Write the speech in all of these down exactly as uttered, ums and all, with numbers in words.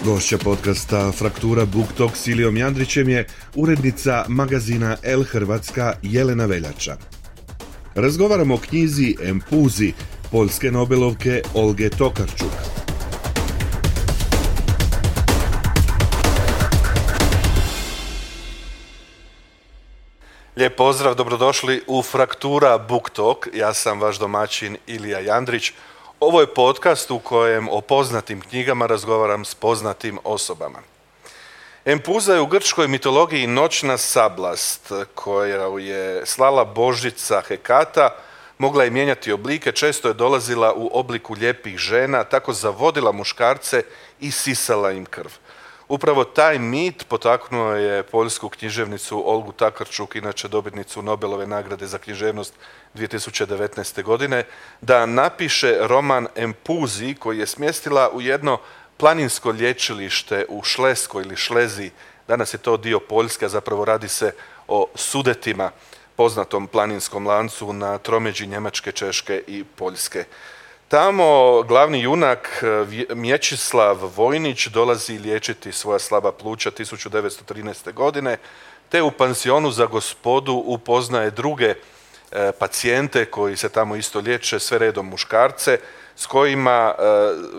Gošća podcasta Fraktura Book Talk s Ilijom Jandrićem je urednica magazina El Hrvatska Jelena Veljača. Razgovaramo o knjizi Empuzi poljske nobelovke Olge Tokarczuk. Lijep pozdrav, dobrodošli u Fraktura Book Talk. Ja sam vaš domaćin Ilija Jandrić. Ovo je podcast u kojem o poznatim knjigama razgovaram s poznatim osobama. Empuza je u grčkoj mitologiji noćna sablast koja je slala božica Hekata, mogla je mijenjati oblike, često je dolazila u obliku lijepih žena, tako zavodila muškarce i sisala im krv. Upravo taj mit potaknuo je poljsku književnicu Olgu Tokarczuk, inače dobitnicu Nobelove nagrade za književnost dvije tisuće devetnaeste. godine, da napiše roman Empuzi koji je smjestila u jedno planinsko lječilište u Šleskoj ili Šlezi. Danas je to dio Poljske, a zapravo radi se o Sudetima, poznatom planinskom lancu na tromeđi Njemačke, Češke i Poljske. Tamo glavni junak Mječislav Vojnić dolazi liječiti svoja slaba pluća tisuću devetsto trinaeste. godine, te u pansionu za gospodu upoznaje druge e, pacijente koji se tamo isto liječe, sve redom muškarce, s kojima e,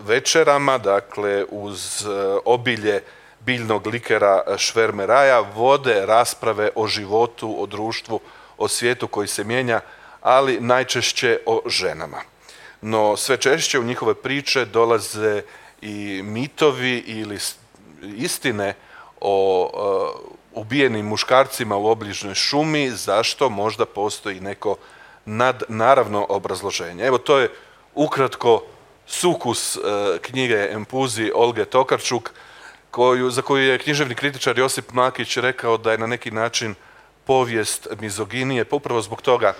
večerama, dakle uz e, obilje biljnog likera švermeraja, vode rasprave o životu, o društvu, o svijetu koji se mijenja, ali najčešće o ženama. No sve češće u njihove priče dolaze i mitovi ili istine o uh, ubijenim muškarcima u obližnjoj šumi, zašto možda postoji neko nadnaravno obrazloženje. Evo, to je ukratko sukus uh, knjige Empuzi Olge Tokarczuk, koju, za koju je književni kritičar Josip Mlakić rekao da je na neki način povijest mizoginije. Pa upravo zbog toga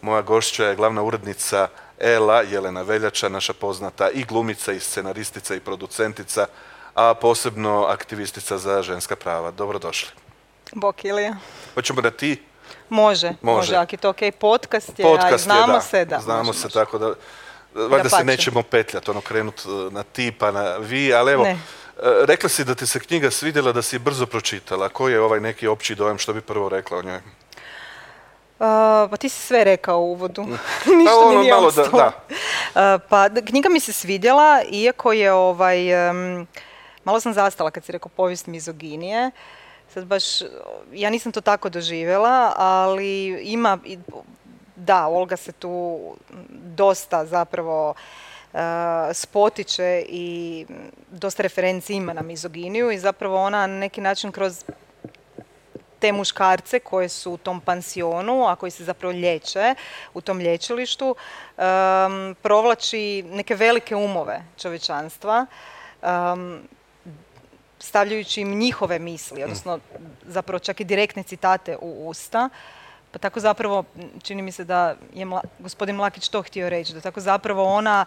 moja gošća je glavna urednica Ela, Jelena Veljača, naša poznata i glumica, i scenaristica, i producentica, a posebno aktivistica za ženska prava. Dobrodošli. Bok, Ilija. Hoćemo da ti? Može, može, može, ako je to ok. Podcast je, podcast a znamo je, da. se, da. Znamo može, se, može. Tako da, valjda se nećemo petljati, ono, krenut na ti pa na vi, ali evo, ne. Rekla si da ti se knjiga svidjela, da si je brzo pročitala. Koji je ovaj neki opći dojam, što bi prvo rekla o njoj? Uh, pa ti si sve rekao u uvodu, ništa ono, mi nije malo ostalo. Da, da. Uh, pa knjiga mi se svidjela, iako je ovaj, um, malo sam zastala kad si rekao povijest mizoginije. Sad baš, ja nisam to tako doživjela, ali ima, da, Olga se tu dosta zapravo uh, spotiče i dosta referenci ima na mizoginiju i zapravo ona na neki način kroz te muškarce koje su u tom pansionu, a koji se zapravo liječe u tom lječilištu, um, provlači neke velike umove čovječanstva, um, stavljajući im njihove misli, odnosno zapravo čak i direktne citate u usta. Pa tako zapravo, čini mi se da je Mla, gospodin Mlakić to htio reći, da tako zapravo ona,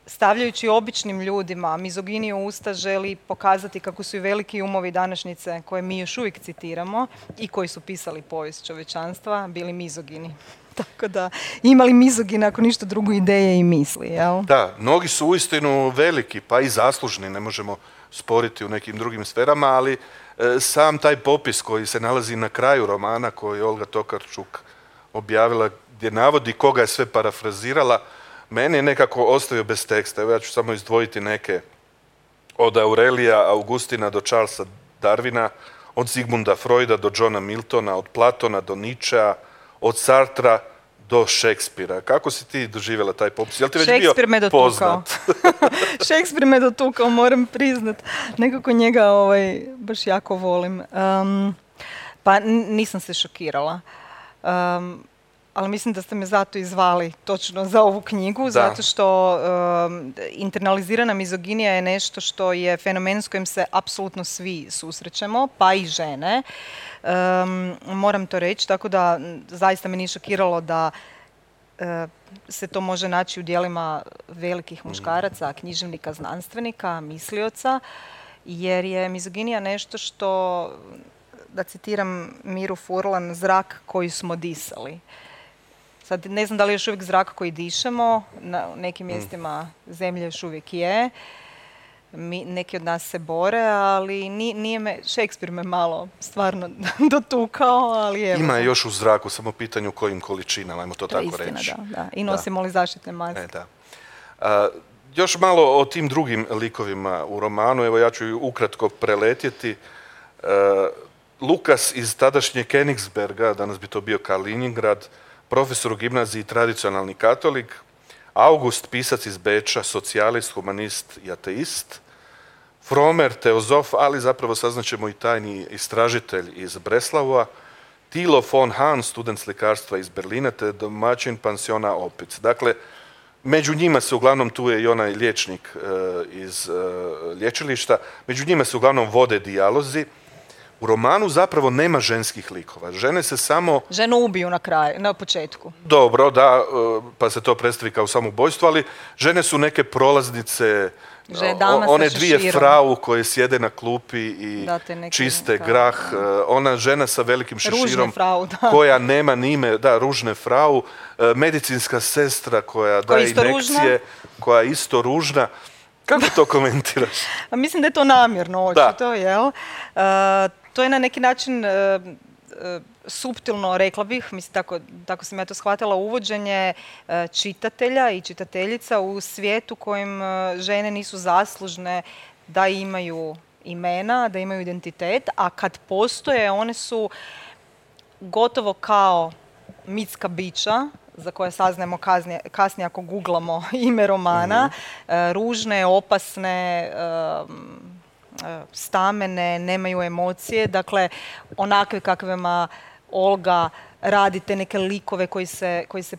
stavljajući običnim ljudima mizoginiju u usta, želi pokazati kako su i veliki umovi današnjice, koje mi još uvijek citiramo i koji su pisali povijest čovječanstva, bili mizogini. Tako da, imali mizogine, ako ništa drugo, ideje i misli, jel? Da, mnogi su uistinu veliki, pa i zaslužni, ne možemo sporiti u nekim drugim sferama, ali e, sam taj popis koji se nalazi na kraju romana, koji je Olga Tokarczuk objavila, gdje navodi koga je sve parafrazirala, meni je nekako ostavio bez teksta. Evo, ja ću samo izdvojiti neke. Od Aurelija Augustina do Charlesa Darwina, od Sigmunda Freuda do Johna Miltona, od Platona do Nietzschea, od Sartra do Šekspira. Kako si ti doživjela taj popis? Jel ti već Šekspir bio poznat? Šekspir me dotukao, moram priznat. Nekako njega ovaj, baš jako volim. Um, pa nisam se šokirala. Um, ali mislim da ste me zato i zvali točno za ovu knjigu, da. Zato što um, internalizirana mizoginija je nešto što je fenomen s kojim se apsolutno svi susrećemo, pa i žene. Um, moram to reći, tako da zaista me nije šokiralo da uh, se to može naći u djelima velikih muškaraca, književnika, znanstvenika, mislioca, jer je mizoginija nešto što, da citiram Miru Furlan, zrak koji smo disali. Sad ne znam da li je još uvijek zrak koji dišemo, na nekim mjestima zemlje još uvijek je. mi, neki od nas se bore, ali nije, nije me, Shakespeare me malo stvarno dotukao, ali evo. Ima je još u zraku, samo pitanje u kojim količinama, ajmo to, to tako istina, reći. Da, da. I nosimo da. li zaštitne maske. E, da. A, još malo o tim drugim likovima u romanu, evo ja ću ju ukratko preletjeti. A, Lukas iz tadašnje Königsberga, danas bi to bio Kaliningrad, profesor u gimnaziji, tradicionalni katolik. August, pisac iz Beča, socijalist, humanist i ateist. Fromer, teozof, ali zapravo saznaćemo i tajni istražitelj iz Breslavova. Tilo von Hahn, student slikarstva iz Berlina, te domaćin pansiona Opic. Dakle, među njima se uglavnom, tu je i onaj liječnik e, iz e, lječilišta, među njima se uglavnom vode dijalozi. U romanu zapravo nema ženskih likova. Žene se samo... Ženu ubiju na kraju, na početku. Dobro, da, pa se to predstavi kao samoubojstvo, ali žene su neke prolaznice, one dvije širom. Frau koje sjede na klupi i neke, čiste kao, grah. Da. Ona žena sa velikim šeširom frau, koja nema ni ime, da, ružne frau. Medicinska sestra koja daje injekcije, ružna. koja je isto ružna. Kako to komentiraš? Mislim da je to namjerno, očito, jel? Uh, To je na neki način e, e, suptilno, rekla bih, mislim, tako, tako sam ja to shvatila, uvođenje e, čitatelja i čitateljica u svijetu kojim e, žene nisu zaslužne da imaju imena, da imaju identitet, a kad postoje, one su gotovo kao mitska bića, za koje saznajemo kasnije, kasnije ako googlamo ime romana, mm-hmm. e, ružne, opasne, e, stamene, nemaju emocije, dakle onakve kakvima Olga radi te neke likove koji se, koji se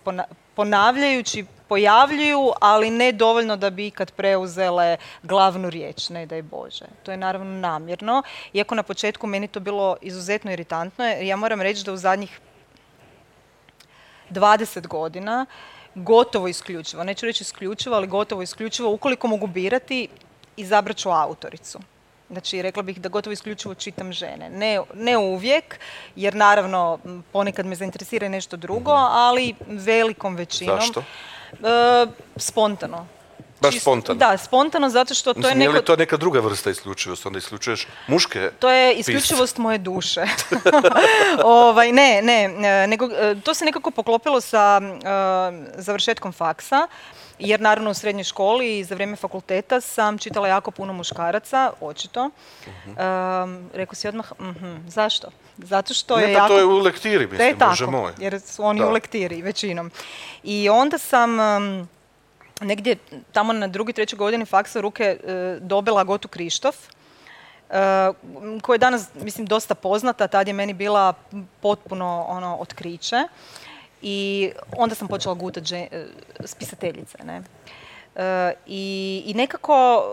ponavljajući pojavljuju, ali ne dovoljno da bi ikad preuzele glavnu riječ, ne daj Bože. To je naravno namjerno, iako na početku meni to bilo izuzetno iritantno, jer ja moram reći da u zadnjih dvadeset godina gotovo isključivo, neću reći isključivo, ali gotovo isključivo, ukoliko mogu birati, izabrat ću autoricu. Znači, rekla bih da gotovo isključivo čitam žene. Ne, ne uvijek, jer naravno ponekad me zainteresira nešto drugo, ali velikom većinom. Zašto? E, spontano. Baš spontano? Da, spontano, zato što to Mislim, je neko... Je li to neka druga vrsta isključivosti? Onda isključuješ muške To je isključivost moje duše. ovaj, ne, ne, nego, to se nekako poklopilo sa uh, završetkom faksa. Jer naravno u srednjoj školi i za vrijeme fakulteta sam čitala jako puno muškaraca, očito. Uh-huh. Um, rekao si odmah, uh-huh. zašto? Zato što ne, je pa jako... to je u lektiri, mislim, je Bože tako, moj. Jer su oni da. u lektiri većinom. I onda sam um, negdje tamo na drugi, trećoj godini faksa u ruke uh, dobila Gotu Krištof, uh, koja je danas, mislim, dosta poznata. Tad je meni bila potpuno ono otkriće. I onda sam počela gutati žen, spisateljice. Ne? E, i, I nekako,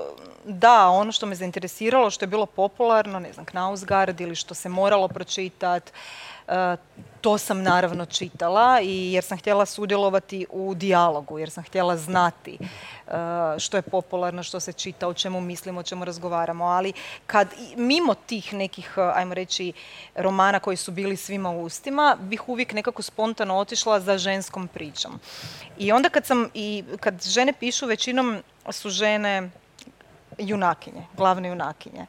da, ono što me zainteresiralo, što je bilo popularno, ne znam, Knausgard ili što se moralo pročitati, e, to sam naravno čitala i jer sam htjela sudjelovati u dijalogu, jer sam htjela znati uh, što je popularno, što se čita, o čemu mislimo, o čemu razgovaramo. Ali kad mimo tih nekih, ajmo reći, romana koji su bili svima u ustima, bih uvijek nekako spontano otišla za ženskom pričom. I onda kad sam, i kad žene pišu, većinom su žene junakinje, glavne junakinje.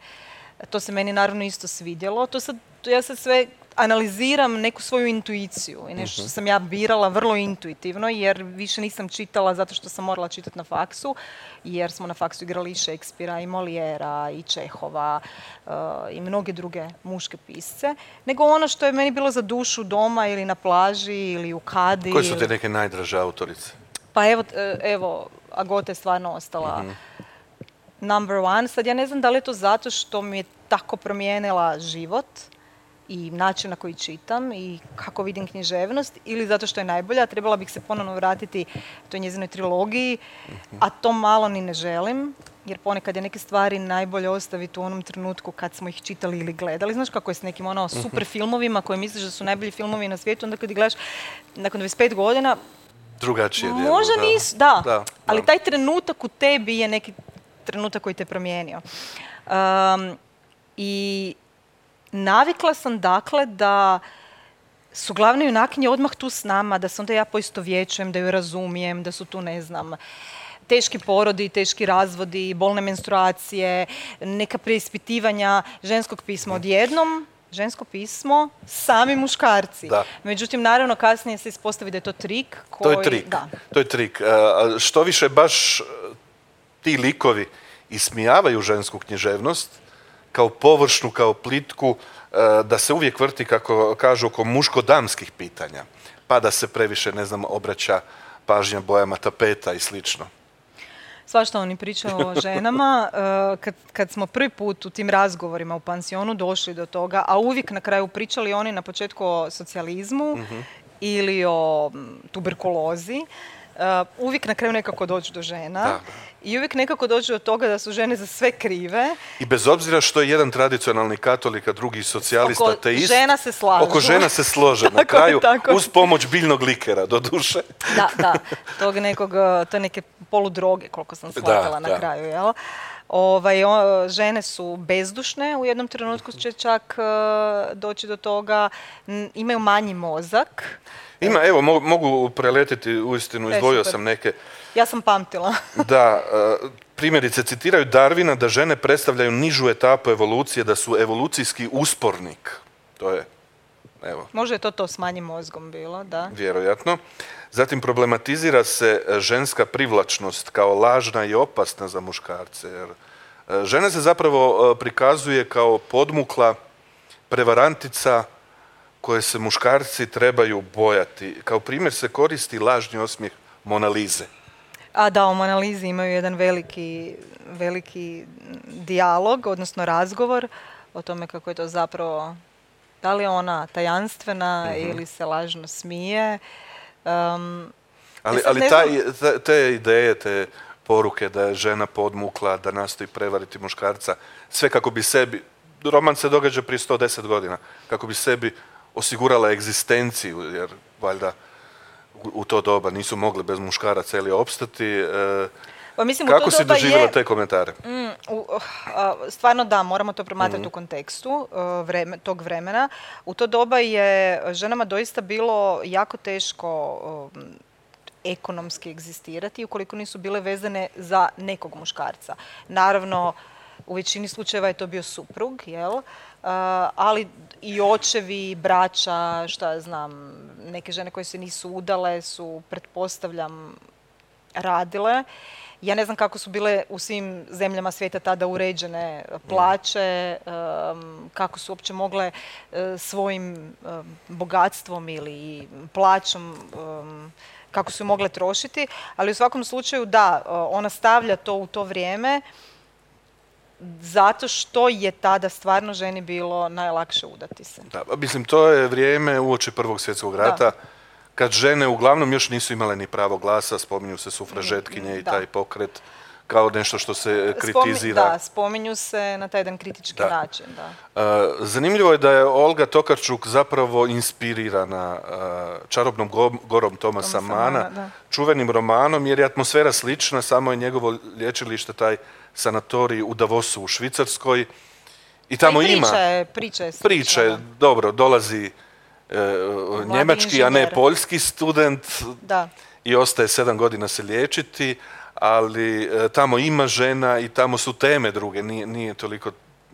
To se meni naravno isto svidjelo. To sad, ja sad sve analiziram neku svoju intuiciju i nešto što sam ja birala vrlo intuitivno, jer više nisam čitala zato što sam morala čitati na faksu, jer smo na faksu igrali i Shakespearea, i Molijera, i Čehova, uh, i mnoge druge muške pisce, nego ono što je meni bilo za dušu doma ili na plaži ili u kadi. Koje su te neke najdraže autorice? Pa evo, evo Agota je stvarno ostala mm-hmm. number one. Sad ja ne znam da li je to zato što mi je tako promijenila život i način na koji čitam i kako vidim književnost, ili zato što je najbolja. Trebala bih se ponovno vratiti toj njezinoj trilogiji, a to malo ni ne želim, jer ponekad je neke stvari najbolje ostaviti u onom trenutku kad smo ih čitali ili gledali. Znaš kako je s nekim ono super filmovima koje misliš da su najbolji filmovi na svijetu, onda kad ih gledaš nakon dvadeset pet godina, drugačije djelo, možda da. nisu, da, da, ali da. taj trenutak u tebi je neki trenutak koji te promijenio. Um, I navikla sam dakle da su glavne junakinje odmah tu s nama, da se onda ja poistovjećujem, da ju razumijem, da su tu, ne znam, teški porodi, teški razvodi, bolne menstruacije, neka preispitivanja ženskog pisma odjednom, žensko pismo, sami muškarci. Da. Međutim, naravno, kasnije se ispostavi da je to trik. Koji, to je trik. Da. To je trik. Uh, što više baš ti likovi ismijavaju žensku književnost kao površnu, kao plitku, uh, da se uvijek vrti, kako kažu, oko muško-damskih pitanja. Pa da se previše, ne znam, obraća pažnja bojama tapeta i slično. Svašta oni pričaju o ženama. Kad, kad smo prvi put u tim razgovorima u pansionu došli do toga, a uvijek na kraju pričali oni na početku o socijalizmu mm-hmm. ili o tuberkulozi, uvijek na kraju nekako dođu do žena. Da. I uvijek nekako dođu do toga da su žene za sve krive. I bez obzira što je jedan tradicionalni katolik, a drugi socijalista, oko ateist, žena se slažu. Oko žena se slože na kraju, tako. Uz pomoć biljnog likera, do duše. Da, da. Tog nekog, to je neke poludroge, koliko sam shvatila na da. kraju, jel? Ovaj, o, žene su bezdušne, u jednom trenutku će čak uh, doći do toga, n- imaju manji mozak. Ima, evo, mo- mogu preletiti, uistinu, izdvojio sam neke. Ja sam pamtila. Da, uh, primjerice, citiraju Darwina da žene predstavljaju nižu etapu evolucije, da su evolucijski uspornik. To je, evo. Možda je to to s manjim mozgom bilo, da. Vjerojatno. Zatim problematizira se ženska privlačnost kao lažna i opasna za muškarce. Jer žena se zapravo prikazuje kao podmukla prevarantica koje se muškarci trebaju bojati. Kao primjer se koristi lažni osmijeh Mona Lise. A da, o Mona Lisi imaju jedan veliki, veliki dijalog, odnosno razgovor o tome kako je to zapravo, da li je ona tajanstvena mm-hmm. ili se lažno smije. Um, ali ali taj, te, te ideje, te poruke da je žena podmukla, da nastoji prevariti muškarca, sve kako bi sebi, roman se događa prije sto deset godina, kako bi sebi osigurala egzistenciju, jer valjda u, u to doba nisu mogli bez muškaraca ili opstati. E, pa mislim, kako si doživjela je, te komentare? Mm, u, uh, stvarno da, moramo to promatrati mm-hmm. u kontekstu uh, vreme, tog vremena. U to doba je ženama doista bilo jako teško um, ekonomski egzistirati ukoliko nisu bile vezane za nekog muškarca. Naravno, u većini slučajeva je to bio suprug, jel? Uh, ali i očevi, braća, šta ja znam, neke žene koje se nisu udale su, pretpostavljam, radile. Ja ne znam kako su bile u svim zemljama svijeta tada uređene plaće, um, kako su uopće mogle uh, svojim um, bogatstvom ili plaćom, um, kako su mogle trošiti, ali u svakom slučaju da, uh, ona stavlja to u to vrijeme zato što je tada stvarno ženi bilo najlakše udati se. Da, mislim, to je vrijeme uoči Prvog svjetskog rata, da. Kad žene uglavnom još nisu imale ni pravo glasa, spominju se sufražetkinje i da. Taj pokret kao nešto što se kritizira. Da, spominju se na taj jedan kritički da. Način. Da. Uh, zanimljivo je da je Olga Tokarczuk zapravo inspirirana uh, Čarobnom go- gorom Tomasa Toma Mana, Mana čuvenim romanom, jer je atmosfera slična, samo je njegovo lječilište, taj sanatorij u Davosu u Švicarskoj. I tamo i ima... Priče, priče, priče, dobro, dolazi Uh, njemački, inženjer. A ne poljski student da. I ostaje sedam godina se liječiti, ali uh, tamo ima žena i tamo su teme druge, nije, nije toliko,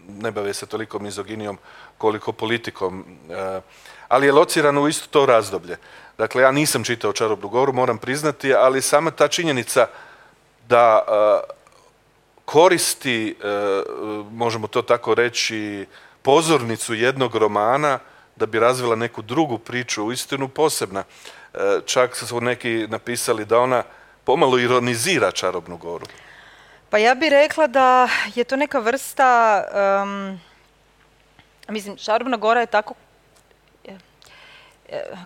ne bave se toliko mizoginijom koliko politikom, uh, ali je lociran u isto to razdoblje. Dakle, ja nisam čitao Čarobnu goru, moram priznati, ali sama ta činjenica da uh, koristi, uh, možemo to tako reći, pozornicu jednog romana da bi razvila neku drugu priču, uistinu posebna. Čak su neki napisali da ona pomalo ironizira Čarobnu goru. Pa ja bih rekla da je to neka vrsta, um, mislim, Čarobna gora je tako,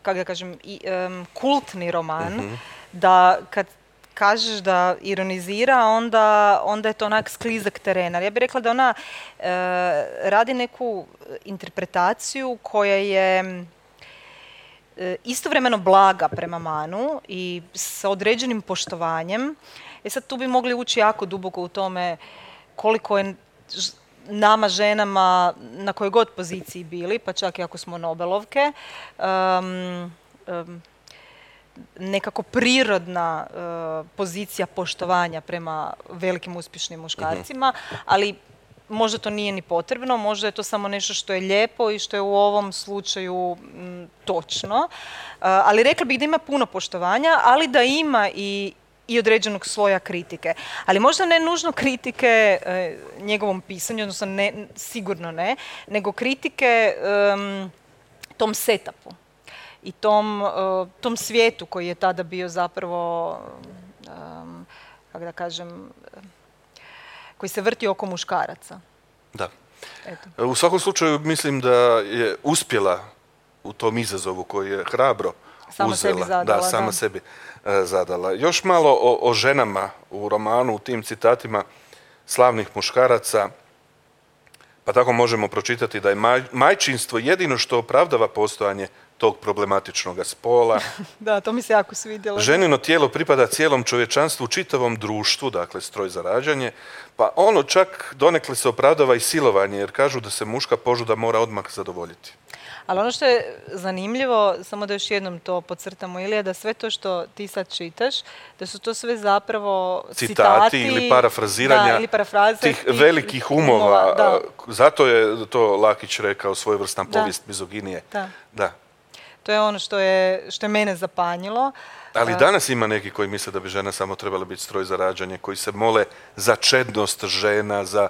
kako da kažem, i, um, kultni roman, uh-huh. da kad kažeš da ironizira, onda, onda je to onak sklizak terena. Ja bih rekla da ona e, radi neku interpretaciju koja je e, istovremeno blaga prema Manu i sa određenim poštovanjem. E sad tu bi mogli ući jako duboko u tome koliko je nama ženama na kojoj god poziciji bili, pa čak i ako smo Nobelovke, um, um, nekako prirodna uh, pozicija poštovanja prema velikim uspješnim muškarcima, ali možda to nije ni potrebno, možda je to samo nešto što je lijepo i što je u ovom slučaju m, točno. Uh, ali rekla bih da ima puno poštovanja, ali da ima i i određenog sloja kritike. Ali možda ne nužno kritike e, njegovom pisanju, odnosno ne, sigurno ne, nego kritike um, tom setupu i tom, uh, tom svijetu koji je tada bio zapravo, um, kako da kažem, koji se vrti oko muškaraca. Da. Eto. U svakom slučaju mislim da je uspjela u tom izazovu koji je hrabro sama uzela. Sebi zadala, da, sama da. sebi e, zadala. Još malo o, o ženama u romanu, u tim citatima slavnih muškaraca. Pa tako možemo pročitati da je maj, majčinstvo jedino što opravdava postojanje tog problematičnog spola. Da, to mi se jako svidjelo. Ženino tijelo pripada cijelom čovječanstvu, čitavom društvu, dakle stroj za rađanje, pa ono čak donekle se opravdava i silovanje, jer kažu da se muška požuda mora odmah zadovoljiti. Ali ono što je zanimljivo, samo da još jednom to podcrtamo, Ilija, da sve to što ti sad čitaš, da su to sve zapravo citati, citati ili parafraziranja da, ili parafraze tih velikih umova. umova da. Zato je to Lakić rekao svojevrstan Da. povijest mizoginije. Da. Da. To je ono što je, što je mene zapanjilo. Ali danas ima neki koji misle da bi žena samo trebala biti stroj za rađanje, koji se mole za čednost žena, za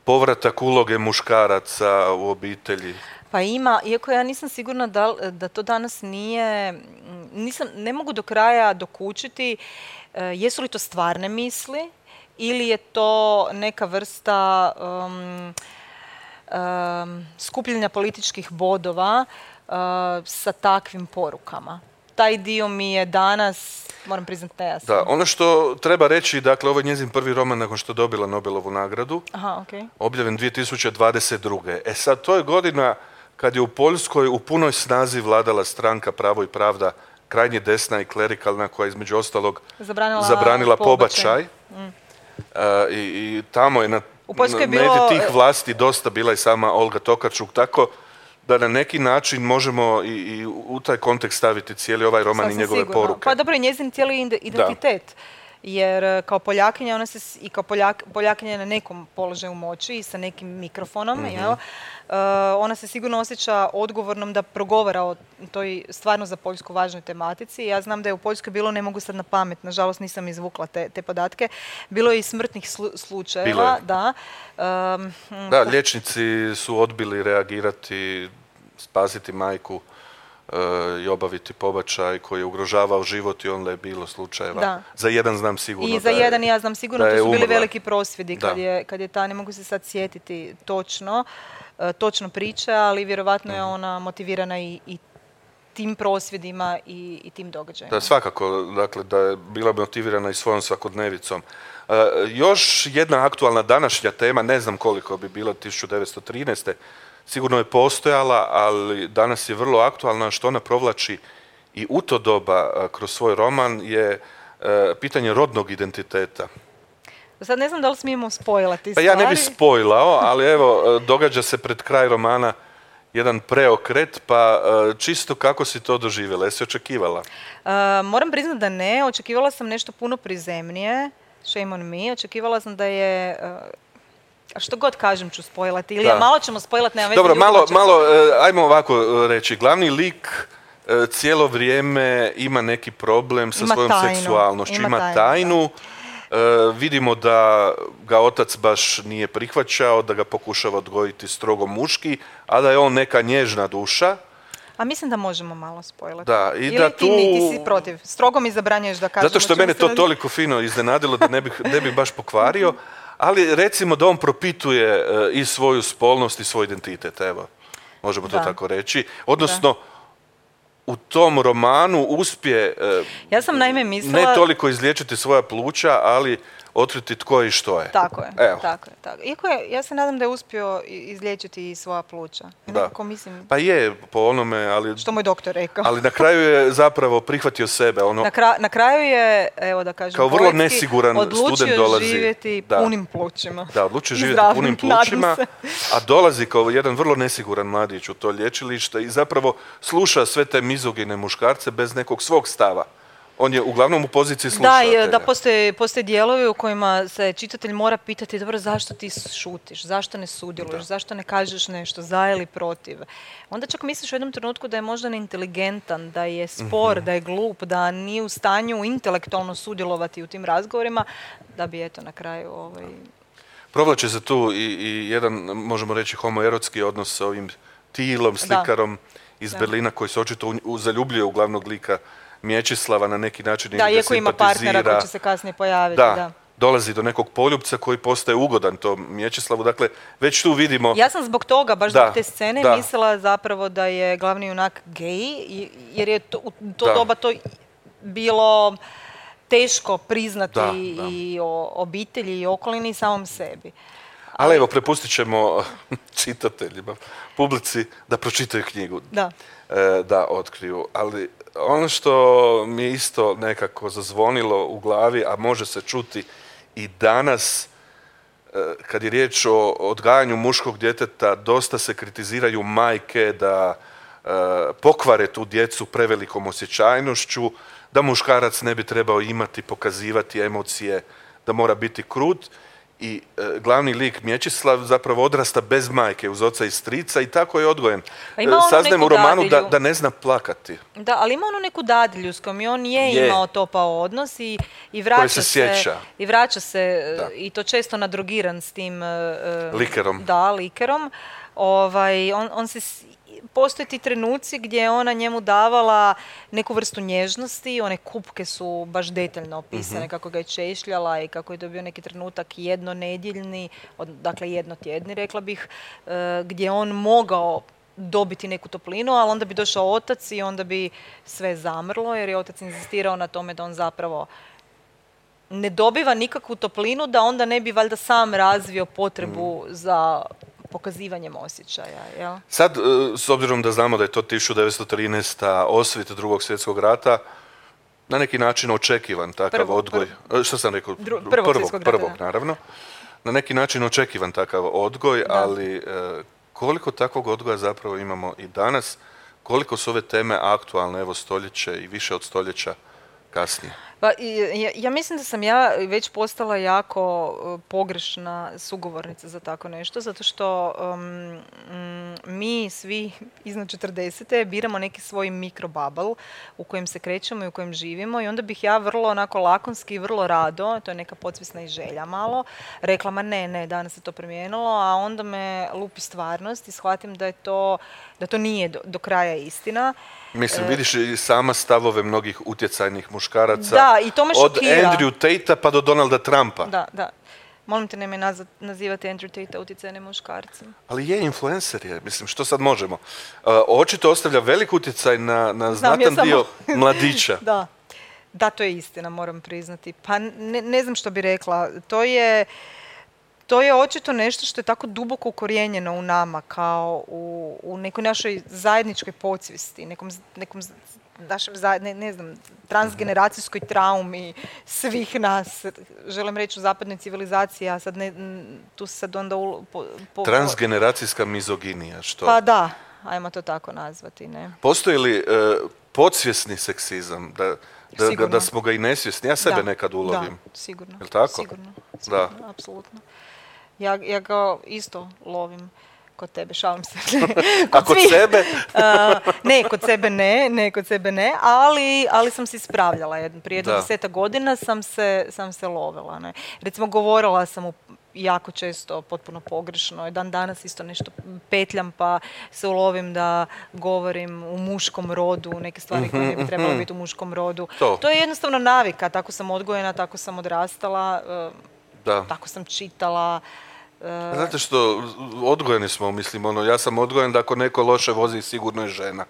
povratak uloge muškaraca u obitelji. Pa ima, iako ja nisam sigurna da, da to danas nije, nisam, ne mogu do kraja dokučiti uh, jesu li to stvarne misli ili je to neka vrsta um, um, skupljenja političkih bodova uh, sa takvim porukama. Taj dio mi je danas, moram priznati, nejasan. Da, ono što treba reći, dakle, ovo je njezin prvi roman nakon što je dobila Nobelovu nagradu, Aha, okay. objavljen dvije tisuće dvadeset druge. E sad, to je godina kad je u Poljskoj u punoj snazi vladala stranka Pravo i pravda, krajnje desna i klerikalna, koja je između ostalog zabranila, zabranila pobačaj. pobačaj. Mm. Uh, i, I tamo je na, u Poljskoj je na bilo tih vlasti dosta bila i sama Olga Tokarczuk, tako da na neki način možemo i, i u taj kontekst staviti cijeli ovaj roman Sasvim i njegove sigurno. poruke. Pa dobro, i njezin cijeli identitet. Da. Jer kao Poljakinja, ona se i kao Poljak, Poljakinja je na nekom položaju moći i sa nekim mikrofonom, mm-hmm. jel? Uh, ona se sigurno osjeća odgovornom da progovara o toj stvarno za Poljsku važnoj tematici. Ja znam da je u Poljskoj bilo, ne mogu sad na pamet, nažalost nisam izvukla te, te podatke, bilo je i smrtnih slu, slučajeva. Da. Um, da, liječnici su odbili reagirati, spasiti majku i obaviti pobačaj koji je ugrožavao život i onda je bilo slučajeva. Da. Za jedan znam sigurno. I za da je, jedan ja znam sigurno, to su bili umrla. veliki prosvjedi kad je, kad je ta, ne mogu se sad sjetiti točno, uh, točno priče, ali vjerovatno je ona motivirana i, i tim prosvjedima i, i tim događajima. Da, svakako, dakle, da je bila motivirana i svojom svakodnevicom. Uh, još jedna aktualna današnja tema, ne znam koliko bi bila tisuću devetsto trinaeste. Sigurno je postojala, ali danas je vrlo aktualna, što ona provlači i u to doba kroz svoj roman je e, pitanje rodnog identiteta. Sad ne znam da li smijemo spojlati pa stvari. Ja ne bih spojlao, ali evo, događa se pred kraj romana jedan preokret, pa čisto kako si to doživjela? Jesi očekivala? Uh, moram priznati da ne, očekivala sam nešto puno prizemnije, shame on me, očekivala sam da je... Uh, A što god kažem ću spojlati. Ili malo ćemo spojlati, nema veze. Dobro, malo, malo, ajmo ovako reći. Glavni lik cijelo vrijeme ima neki problem sa ima svojom tajnu. seksualnošću. Ima, ima tajnu. tajnu. E, vidimo da ga otac baš nije prihvaćao, da ga pokušava odgojiti strogo muški, a da je on neka nježna duša. A mislim da možemo malo spojlati. Da, i ili da ti, tu... ti si protiv. Strogo mi zabranjuješ da kažemo. Zato što mene to toliko fino iznenadilo da ne bih, ne bih baš pokvario. Ali recimo da on propituje uh, i svoju spolnost i svoj identitet, evo, možemo da. to tako reći. Odnosno, da. u tom romanu uspije uh, ja sam naime mislila... ne toliko izliječiti svoja pluća, ali otkriti tko je i što je. Tako je, Evo. tako je. Tako. Iako je, ja se nadam da je uspio izliječiti i svoja pluća. Da. Nekako mislim, Pa je, po onome, ali... što moj doktor rekao. Ali na kraju je zapravo prihvatio sebe. Ono, Na, kra- na kraju je, evo da kažem, kao vrlo poetski, nesiguran odlučio student dolazi. živjeti Da. punim plućima. Da, odlučio I živjeti zdravim, punim nadam plućima, se. a dolazi kao jedan vrlo nesiguran mladić u to lječilište i zapravo sluša sve te mizogine muškarce bez nekog svog stava. On je uglavnom u poziciji Da, slušatelja. i da postoje, postoje dijelovi u kojima se čitatelj mora pitati, dobro, zašto ti šutiš, zašto ne sudjeluješ, Da. zašto ne kažeš nešto, za ili protiv. Onda čak misliš u jednom trenutku da je možda neinteligentan, da je spor, Mhm. da je glup, da nije u stanju intelektualno sudjelovati u tim razgovorima, da bi eto na kraju ovaj... Provlači se tu i, i jedan, možemo reći, homoerotski odnos sa ovim Tilom, slikarom iz Da. Berlina, koji se očito u, u, zaljubljuje u glavnog lika Mječislava, na neki način Da, ili ga iako ima partnera simpatizira. koji će se kasnije pojaviti. Da, Da. dolazi do nekog poljupca koji postaje ugodan tom Mječislavu. Dakle, već tu vidimo... Ja sam zbog toga, baš Da, zbog te scene, da. mislila zapravo da je glavni junak gej, i- jer je to, u to Da. doba to bilo teško priznati Da, da. i o obitelji i okolini i samom sebi. Ali evo, prepustit ćemo čitateljima, publici, da pročitaju knjigu, Da. e, da otkriju. Ali ono što mi je isto nekako zazvonilo u glavi, a može se čuti i danas, e, kad je riječ o odgajanju muškog djeteta, dosta se kritiziraju majke da e, pokvare tu djecu prevelikom osjećajnošću, da muškarac ne bi trebao imati, pokazivati emocije, da mora biti krut. I e, glavni lik Mječislav zapravo odrasta bez majke, uz oca i strica, i tako je odgojen. Pa ima onu Saznajem neku u romanu da, dadilju. da ne zna plakati. Da, ali ima onu neku dadilju s kojom i on je, Je. imao topao odnos i, i vraća se sjeća. i vraća se Da. i to često nadrogiran s tim e, e, Likerom. Da, likerom. Ovaj, on, on se s- postoje ti trenuci gdje je ona njemu davala neku vrstu nježnosti, one kupke su baš detaljno opisane, Mhm. kako ga je češljala i kako je dobio neki trenutak jednonedjeljni, od, dakle jednotjedni rekla bih, e, gdje je on mogao dobiti neku toplinu, ali onda bi došao otac i onda bi sve zamrlo, jer je otac inzistirao na tome da on zapravo ne dobiva nikakvu toplinu, da onda ne bi valjda sam razvio potrebu za pokazivanjem osjećaja, jel? Sad, e, s obzirom da znamo da je to tisuću devetsto trinaesta. osvit drugog svjetskog rata, na neki način očekivan takav Prvog, odgoj. E, Što sam rekao? Dru- Dru- prvog svjetskog rata, prvog, da. naravno. Na neki način očekivan takav odgoj, Da. ali e, koliko takvog odgoja zapravo imamo i danas, koliko su ove teme aktualne, evo, stoljeće i više od stoljeća kasnije. Pa, i- ja, ja mislim da sam ja već postala jako uh, pogrešna sugovornica za tako nešto, zato što um, mm, mi svi iznad četrdesete biramo neki svoj mikrobubble u kojem se krećemo i u kojem živimo, i onda bih ja vrlo onako lakonski i vrlo rado, to je neka podsvjesna i želja malo, rekla ma ne, ne, danas se to promijenilo, a onda me lupi stvarnost i shvatim da je to, da to nije do, do kraja istina. Mislim, E, vidiš i sama stavove mnogih utjecajnih muškaraca. Da, i to me od šokira. Andrew Tate-a pa do Donalda Trumpa. Da, da. Molim te, nemoj nazva- nazivati Andrew Tate utjecajnim muškarcem. Ali je, influencer je, mislim, što sad možemo? Uh, očito ostavlja velik utjecaj na, na Znam, ja znatan samo- dio mladića. Da. Da, to je istina, moram priznati. Pa ne, ne znam što bi rekla. To je, to je očito nešto što je tako duboko ukorijenjeno u nama, kao u, u nekoj našoj zajedničkoj podsvijesti, nekom, z- nekom z- našem, zaje- ne, ne znam, transgeneracijskoj traumi svih nas. Želim reći u zapadnoj civilizaciji, a sad ne, n- tu se sad onda... u- po, po, Transgeneracijska mizoginija, što? Pa da, ajmo to tako nazvati, ne? Postoji li uh, podsvjesni seksizam, da, da, da, Sigurno. da smo ga i nesvjesni? Ja sebe Da, nekad ulovim. Da, sigurno. Jel tako? Sigurno, sigurno, apsolutno. Ja, ja ga isto lovim kod tebe, šalim se. A kod svih. sebe? A, ne, kod sebe ne, ne, kod sebe ne, ali, ali sam se ispravljala. Jedno, prije jedno Da. deseta godina sam se, sam se lovila. Ne. Recimo, govorila sam u jako često potpuno pogrešno. Dan danas isto nešto petljam pa se ulovim da govorim u muškom rodu, neke stvari koje ne bi trebalo biti u muškom rodu. To. To je jednostavno navika, tako sam odgojena, tako sam odrastala, e, Da. tako sam čitala. e, Znate što, odgojeni smo, mislim, ono, ja sam odgojen da ako neko loše vozi, sigurno je žena.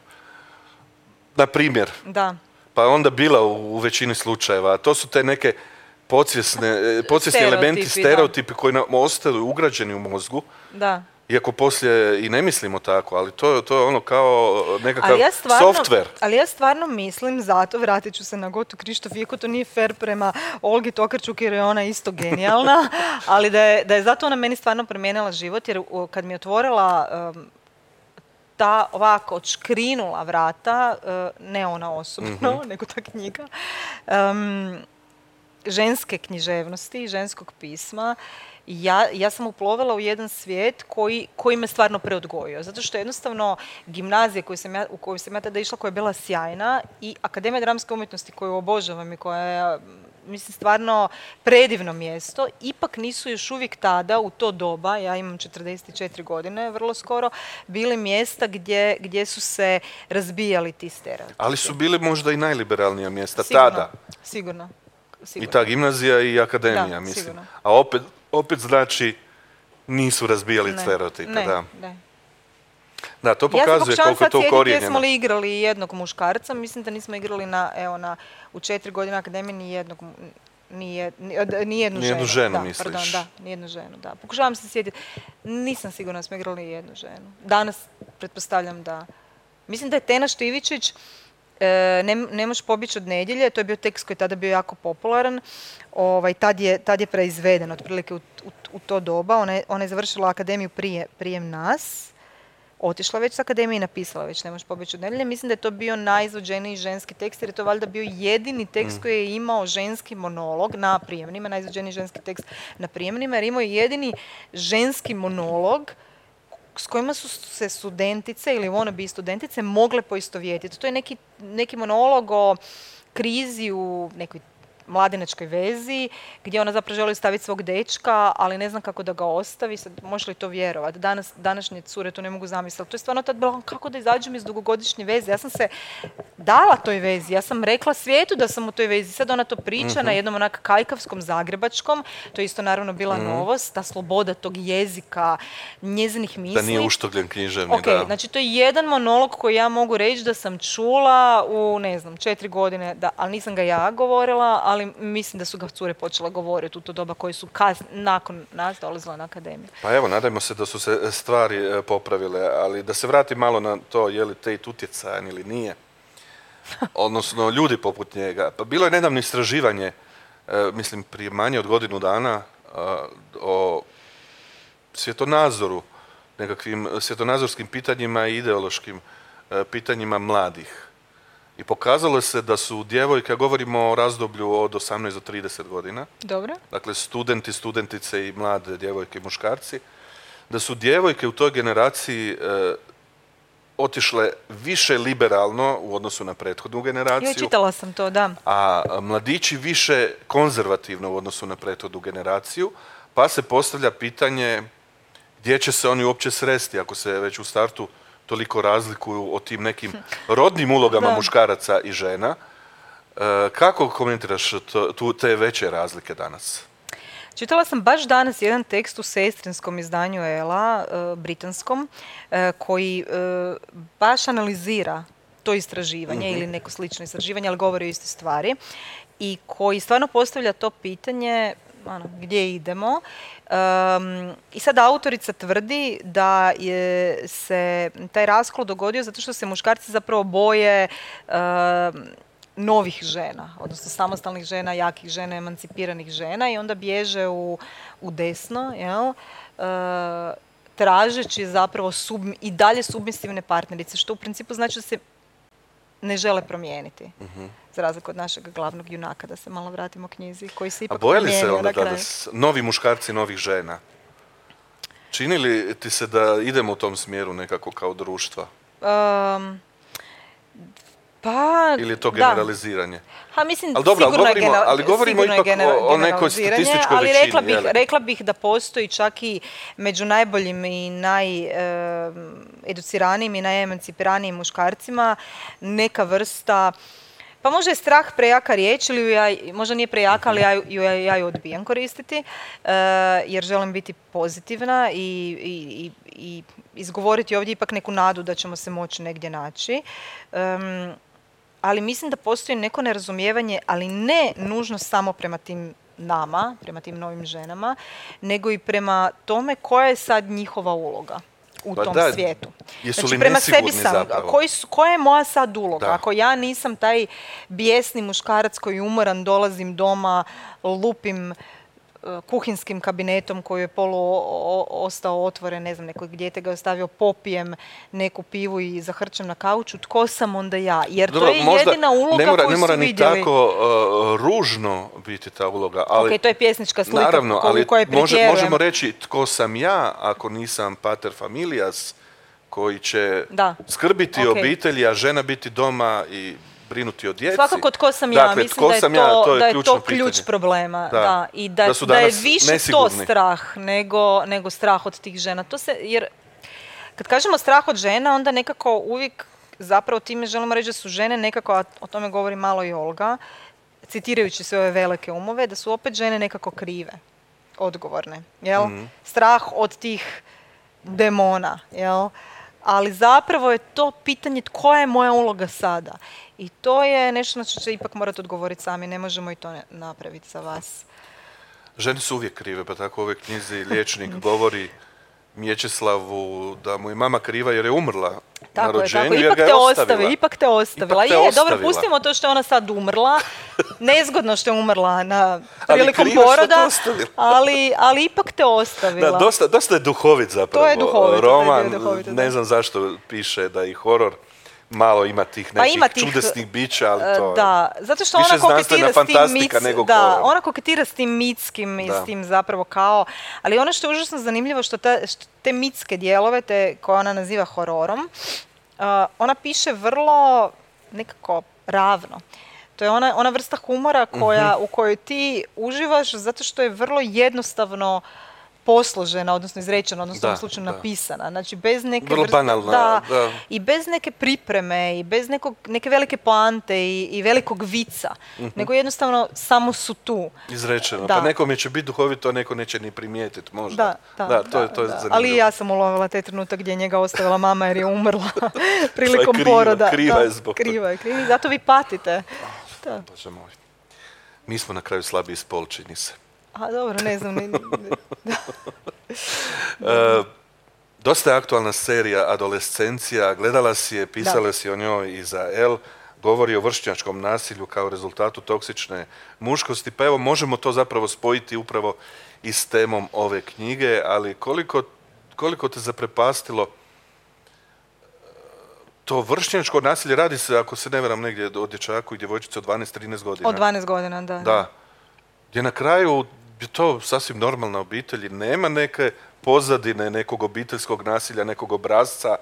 Na primjer. Da. Pa onda bila u, u većini slučajeva. A to su te neke podsvjesne, podsvjesni elementi, stereotipi koji nam ostaju ugrađeni u mozgu. Da. Iako poslije i ne mislimo tako, ali to, to je ono kao nekakav ja software. Ali ja stvarno mislim, zato vratit ću se na Gotu Krištof, iako to nije fair prema Olgi Tokarčuk jer je ona isto genijalna, ali da je, da je zato ona meni stvarno promijenila život, jer kad mi je otvorila um, ta ovako odškrinula vrata, uh, ne ona osobno, mm-hmm. nego ta knjiga, um, ženske književnosti, ženskog pisma, Ja, ja sam uplovila u jedan svijet koji, koji me stvarno preodgojio. Zato što jednostavno gimnazija koju sam ja, u koju sam ja tada išla, koja je bila sjajna, i Akademija dramske umjetnosti koju obožavam i koja je, mislim, stvarno predivno mjesto, ipak nisu još uvijek tada, u to doba, ja imam četrdeset četiri godine, vrlo skoro, bili mjesta gdje, gdje su se razbijali ti stereotipi. Ali su bili možda i najliberalnija mjesta sigurno, tada. Sigurno. Sigurno. I ta gimnazija i akademija, da, mislim. Sigurno. A opet, opet znači nisu razbijali ne, stereotipe. Ne, da. ne. Da, to pokazuje ja koliko je to ukorijenjeno. Jesmo li igrali jednog muškarca? Mislim da nismo igrali na, evo, na, u četiri godine akademije ni jednog, ni, jed, ni jednu ni ženu. ženu, da, misliš? Pardon, da, ni jednu ženu, da. Pokušavam se sjetiti. Nisam sigurna da smo igrali jednu ženu. Danas pretpostavljam da. Mislim da je Tena Štivičić E, ne, ne možeš pobjeći od nedjelje, to je bio tekst koji je tada bio jako popularan, ovaj, tad, je, tad je preizveden otprilike u, u, u to doba, ona je, ona je završila akademiju prije, prije nas, otišla već s akademije i napisala već Ne možeš pobjeći od nedjelje. Mislim da je to bio najizvođeniji ženski tekst, jer je to valjda bio jedini tekst koji je imao ženski monolog na prijemnima, najizvođeniji ženski tekst na prijemnima, jer imao je jedini ženski monolog s kojima su se studentice ili wannabe studentice mogle poistovjetiti. To je neki, neki monolog o krizi u nekoj mladenačkoj vezi, gdje ona zapravo želi staviti svog dečka, ali ne znam kako da ga ostavi. Sad, možeš li to vjerovati? Danas, današnje cure to ne mogu zamisliti. To je stvarno tad bilo, kako da izađem iz dugogodišnje veze. Ja sam se dala toj vezi. Ja sam rekla svijetu da sam u toj vezi. Sad ona to priča mm-hmm. na jednom onak kajkavskom, zagrebačkom. To je isto naravno bila mm-hmm. novost. Ta sloboda tog jezika, njezinih misli. Da nije uštogljen književni, okay, da. Znači, to je jedan monolog koji ja mogu reći da sam čula u, ne znam, četiri godine, da, ali nisam ga ja govorila, ali mislim da su ga cure počela govoriti u to doba koji su kas, nakon nas dolazile na akademiju. Pa evo, nadajmo se da su se stvari popravile, ali da se vrati malo na to je li Tate utjecajan ili nije. Odnosno, ljudi poput njega. Pa bilo je nedavno istraživanje, mislim, prije manje od godinu dana o svjetonazoru, nekakvim svjetonazorskim pitanjima i ideološkim pitanjima mladih. I pokazalo se da su djevojke, govorimo o razdoblju od osamnaest do trideset godina. Dobro. Dakle, studenti, studentice i mlade djevojke i muškarci, da su djevojke u toj generaciji e, otišle više liberalno u odnosu na prethodnu generaciju. Jo, čitala sam to, da. A mladići više konzervativno u odnosu na prethodnu generaciju, pa se postavlja pitanje gdje će se oni uopće sresti ako se već u startu toliko razlikuju o tim nekim rodnim ulogama muškaraca i žena. E, kako komentiraš to, tu, te veće razlike danas? Čitala sam baš danas jedan tekst u sestrinskom izdanju Ela, e, britanskom, e, koji e, baš analizira to istraživanje mm-hmm. ili neko slično istraživanje, ali govori o istoj stvari, i koji stvarno postavlja to pitanje ano, gdje idemo. Um, I sad autorica tvrdi da je se taj raskol dogodio zato što se muškarci zapravo boje um, novih žena, odnosno samostalnih žena, jakih žena, emancipiranih žena, i onda bježe u, u desno, jel? Uh, tražeći zapravo sub, i dalje submisivne partnerice, što u principu znači da se ne žele promijeniti. Uh-huh. Za razliku od našeg glavnog junaka, da se malo vratimo knjizi, koji se ipak promijenio. A bojali se onda da, da s, novi muškarci novih žena? Čini li ti se da idemo u tom smjeru nekako kao društva? Um, pa, ili je to generaliziranje? Ha, mislim, ali dobro, sigurno, ali govorimo, je, ali govorimo ipak gener- o, o nekoj statističkoj ali većini. Rekla bih, rekla bih da postoji čak i među najboljim i najeduciranijim i najemancipiranijim muškarcima neka vrsta, pa možda je strah prejaka riječ, ili ja, možda nije prejaka, ali ja ju, ja, ja ju odbijam koristiti, uh, jer želim biti pozitivna i, i, i izgovoriti ovdje ipak neku nadu da ćemo se moći negdje naći. Um, ali mislim da postoji neko nerazumijevanje, ali ne nužno samo prema tim nama, prema tim novim ženama, nego i prema tome koja je sad njihova uloga u Pa tom da, svijetu. jesu Znači, li prema nesigurni sebi sam, zapravo? koji su, koja je moja sad uloga? Da. Ako ja nisam taj bijesni muškarac koji je umoran, dolazim doma, lupim uh, kuhinskim kabinetom koji je polu o- o- ostao otvoren, ne znam, neko dijete ga je ostavio, popijem neku pivu i zahrčem na kauču, tko sam onda ja? Jer Dobro, to je možda jedina uloga ne mora, koju ne mora su ni vidjeli. tako uh, ružno biti ta uloga, ali Ok, to je pjesnička slika naravno, ko- ali u kojoj može, pretjerujem. možemo reći tko sam ja ako nisam pater familias koji će Da. skrbiti Ok. o obitelji, a žena biti doma i brinuti o djeci. Svakako tko sam ja, Dakle, mislim tko da je sam to, ja, to je da je ključno to ključ pitanje. problema. Da. Da. I da, Da su da je danas više to nesigurni. strah nego, nego strah od tih žena. To se, jer kad kažemo strah od žena, onda nekako uvijek zapravo time želimo reći da su žene nekako, a o tome govori malo i Olga, citirajući sve ove velike umove, da su opet žene nekako krive, odgovorne. Jel? Mhm. Strah od tih demona. Jel? Ali zapravo je to pitanje koja je moja uloga sada. I to je nešto na što će ipak morati odgovoriti sami. Ne možemo i to ne- napraviti za vas. Žene su uvijek krive, pa tako u ovoj knjizi liječnik govori Mječeslavu da mu je mama kriva jer je umrla na Tako je, rođenju, tako. jer Ipak ga je te ostavila. ostavi, ipak te ostavila. Ipak te je, dobro, ostavila. pustimo to što je ona sad umrla. Nezgodno što je umrla na Ali prilikom krivo što te poroda, ostavila. ali, ali ipak te ostavila. Da, dosta, dosta je duhovit zapravo. To je duhovito, to je roman, duhovito, da. ne znam zašto piše da je i horor. Malo ima tih Pa nekih ima tih, čudesnih bića, ali E, to je Da, zato što više ona koketira znanstvena s tim fantastika mic, nego da, horor. ona koketira s tim mitskim i Da. s tim zapravo kao, ali ono što je užasno zanimljivo što, ta, što te mitske dijelove, te koje ona naziva hororom, uh, ona piše vrlo nekako ravno. To je ona, ona vrsta humora koja, Mhm. u kojoj ti uživaš zato što je vrlo jednostavno posložena, odnosno izrečena, odnosno u Da, ovom slučaju da. napisana. Znači, bez neke Vrlo vrste- banalna, da, da. i bez neke pripreme i bez nekog, neke velike poante i, i velikog vica, nego jednostavno samo su tu. izrečeno. Da. Pa nekome će biti duhovito, a neko neće ni primijetiti možda. Da, da, to je, to je da. zanimljivo. Ali i ja sam ulovila taj trenutak gdje je njega ostavila mama jer je umrla prilikom kriva, poroda. kriva Da, je zbog toga. kriva je, kriva je. Zato vi patite. Da. Bože moj. Mi smo na kraju slabiji spol, čini se. A dobro, ne znam. Ni, ni- E, dosta je aktualna serija Adolescencija, gledala si je, pisala Da. si o njoj i za El, govori o vršnjačkom nasilju kao rezultatu toksične muškosti, pa evo možemo to zapravo spojiti upravo i s temom ove knjige, ali koliko, koliko te zaprepastilo e, to vršnjačko nasilje, radi se, ako se ne varam, negdje o dječaku i djevojčici od dvanaest trinaest godina. Od dvanaest godina, da. Da. Gdje na kraju je to sasvim normalna obitelj i nema neke pozadine nekog obiteljskog nasilja, nekog obrazca,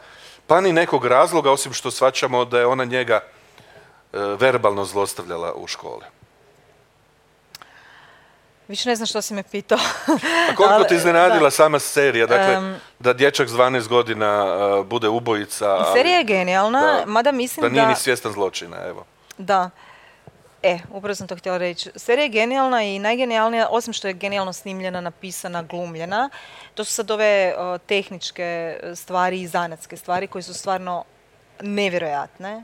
pa ni nekog razloga, osim što shvaćamo da je ona njega e, verbalno zlostavljala u školi. Više ne znam što si me pitao. A koliko Ali, te iznenadila da. sama serija? Dakle, Em, da dječak s dvanaest godina e, bude ubojica, ali Serija je genijalna, da. mada mislim da da... nije ni svjestan zločina, evo. Da. E, upravo sam to htjela reći. Serija je genijalna i najgenijalnija, osim što je genijalno snimljena, napisana, glumljena, to su sad ove o, tehničke stvari i zanatske stvari koje su stvarno nevjerojatne.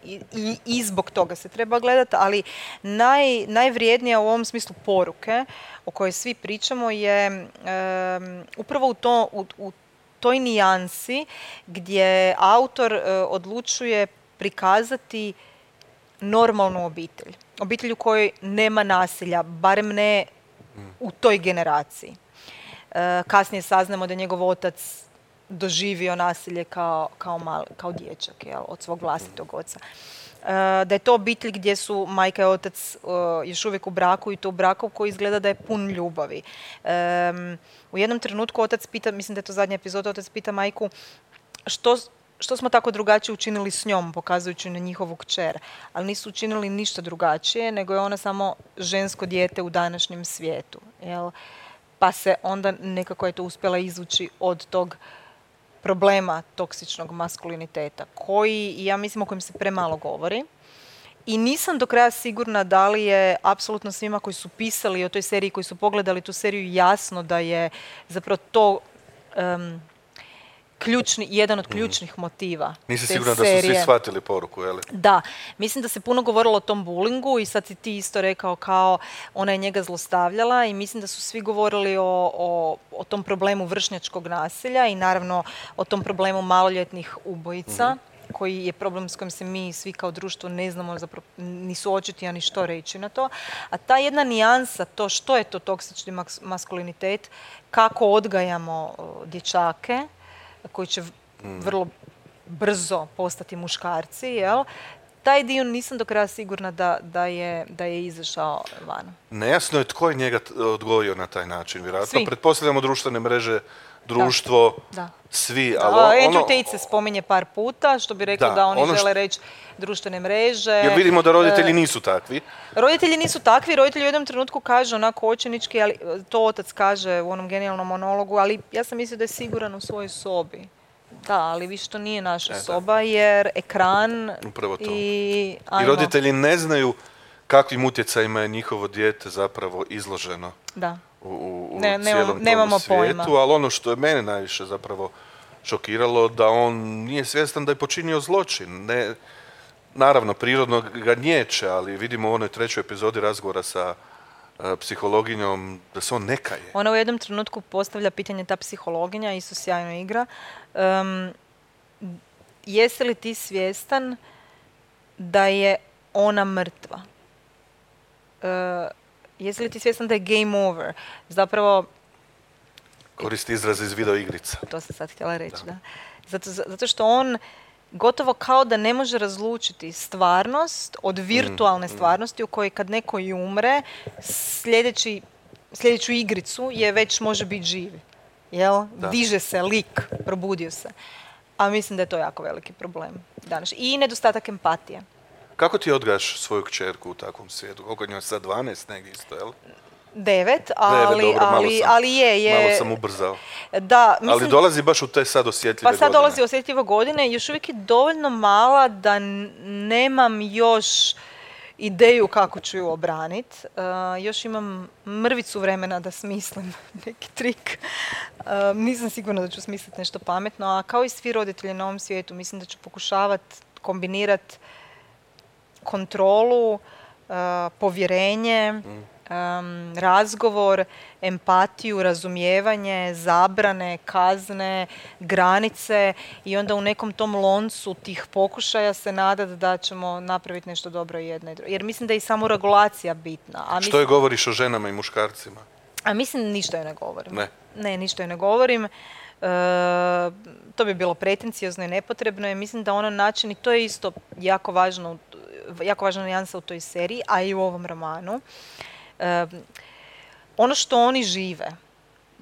I, i, i zbog toga se treba gledati, ali naj, najvrijednija u ovom smislu poruke o kojoj svi pričamo je em, upravo u, to, u, u toj nijansi gdje autor e, odlučuje prikazati normalnu obitelj. Obitelj u kojoj nema nasilja, barem ne u toj generaciji. E, kasnije saznamo da je njegov otac doživio nasilje kao, kao, mal, kao dječak, jel, od svog vlastitog oca. E, da je to obitelj gdje su majka i otac e, još uvijek u braku i to u braku koji izgleda da je pun ljubavi. E, u jednom trenutku otac pita, mislim da je to zadnja epizoda, otac pita majku što, što smo tako drugačije učinili s njom, pokazujući na njihovu kćer. Ali nisu učinili ništa drugačije, nego je ona samo žensko dijete u današnjem svijetu. Jel? Pa se onda nekako je to uspjela izvući od tog problema toksičnog maskuliniteta, koji, ja mislim, o kojem se premalo govori. I nisam do kraja sigurna da li je apsolutno svima koji su pisali o toj seriji, koji su pogledali tu seriju, jasno da je zapravo to um, ključni, jedan od ključnih motiva. Nisi te sigurna da su serije. svi shvatili poruku, je li? Da, mislim da se puno govorilo o tom bullingu i sad si ti isto rekao kao ona je njega zlostavljala i mislim da su svi govorili o, o, o tom problemu vršnjačkog nasilja i naravno o tom problemu maloljetnih ubojica, mm-hmm. koji je problem s kojim se mi svi kao društvo ne znamo zapravo ni suočiti, a ni što reći na to. A ta jedna nijansa, to što je to toksični maskulinitet, kako odgajamo o, dječake, koji će vrlo brzo postati muškarci, jel? Taj dio nisam do kraja sigurna da, da, je, da je izašao van. Nejasno je tko je njega odgojio na taj način, vjerojatno. Svi. Pretpostavljamo društvene mreže, društvo, da. svi. Da, ali Andrew ono, Tate se spominje par puta, što bi rekao da, da oni ono žele što, reći društvene mreže. Jer vidimo da roditelji nisu takvi. Roditelji nisu takvi, roditelji u jednom trenutku kažu onako očenički, ali to otac kaže u onom genijalnom monologu, ali ja sam mislio da je siguran u svojoj sobi. Da, ali više to nije naša e, soba, jer ekran Upravo to. i... I roditelji ne znaju kakvim utjecajima je njihovo dijete zapravo izloženo da. u, u, u ne, cijelom nemamo tom svijetu, pojma. ali ono što je mene najviše zapravo šokiralo, da on nije svjestan da je počinio zločin. Ne, naravno, prirodno ga nječe, ali vidimo u onoj trećoj epizodi razgovora sa psihologinjom, da se on ne kaje. Ona u jednom trenutku postavlja pitanje, ta psihologinja, isto sjajno igra. Um, jesi li ti svjestan da je ona mrtva? Uh, jesi li ti svjestan da je game over? Zapravo... Koristi izraz iz video igrica. To sam sad htjela reći, da. da. Zato, zato što on gotovo kao da ne može razlučiti stvarnost od virtualne mm, stvarnosti u kojoj kad neko i umre, sljedeći, sljedeću igricu je već može biti živ. Jel? Da. Diže se lik, probudio se. A mislim da je to jako veliki problem danas. I nedostatak empatije. Kako ti odgajaš svoju kćerku u takvom svijetu? Koliko njoj sad dvanaest negdje isto, jel? Devet, ali, Devet, dobro, ali, sam, ali je, je... Malo sam ubrzao. Da, mislim, ali dolazi baš u te sad osjetljive godine. Pa sad godine. dolazi osjetljive godine, još uvijek je dovoljno mala da nemam još ideju kako ću ju obraniti. Uh, još imam mrvicu vremena da smislim neki trik. Uh, nisam sigurna da ću smisliti nešto pametno, a kao i svi roditelji na ovom svijetu, mislim da ću pokušavati kombinirati kontrolu, uh, povjerenje, mm. Um, razgovor, empatiju, razumijevanje, zabrane, kazne, granice i onda u nekom tom loncu tih pokušaja se nadati da ćemo napraviti nešto dobro i jedno i drugo. Jer mislim da je i samoregulacija bitna. A što mislim, je govoriš o ženama i muškarcima? A mislim ništa joj ne govorim. Ne? Ne, ništa joj ne govorim. E, to bi bilo pretenciozno i nepotrebno. I mislim da ono način, i to je isto jako važno, jako važna nijansa u toj seriji, a i u ovom romanu. Um, ono što oni žive,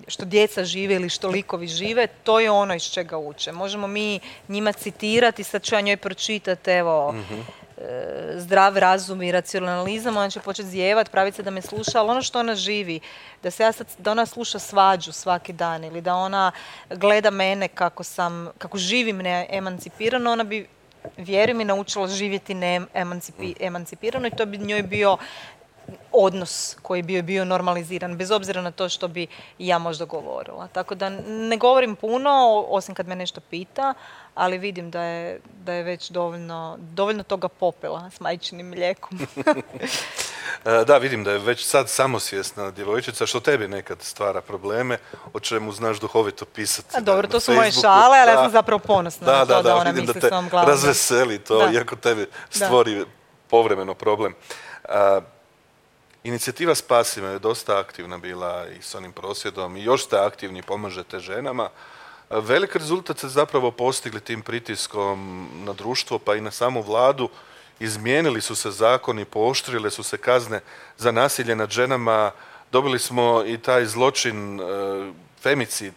što djeca žive ili što likovi žive, to je ono iz čega uče. Možemo mi njima citirati, sad ću ja njoj pročitati, evo, mm-hmm. e, zdrav razum i racionalizam, ona će početi zijevat, praviti se da me sluša, ali ono što ona živi, da, se ja sad, da ona sluša svađu svaki dan ili da ona gleda mene kako, sam, kako živim neemancipirano, ona bi, vjeruj mi, naučila živjeti neemancipirano i to bi njoj bio odnos koji bi bio normaliziran, bez obzira na to što bi ja možda govorila. Tako da ne govorim puno, osim kad me nešto pita, ali vidim da je, da je već dovoljno, dovoljno toga popila s majčinim mlijekom. Da, vidim da je već sad samosvjesna djevojčica, što tebi nekad stvara probleme, o čemu znaš duhovito pisati. A dobro, na, to na su moje Facebooku. šale, ali da, ja sam zapravo ponosna da, na to da, da, da ona vidim misli da svom glavom. razveseli to, da. Iako tebi stvori da. povremeno problem. Uh, Inicijativa Spasi me je dosta aktivna bila i s onim prosvjedom i još ste aktivni, pomažete ženama. Velik rezultat ste zapravo postigli tim pritiskom na društvo pa i na samu vladu. Izmijenili su se zakoni, pooštrile su se kazne za nasilje nad ženama. Dobili smo i taj zločin, e, femicid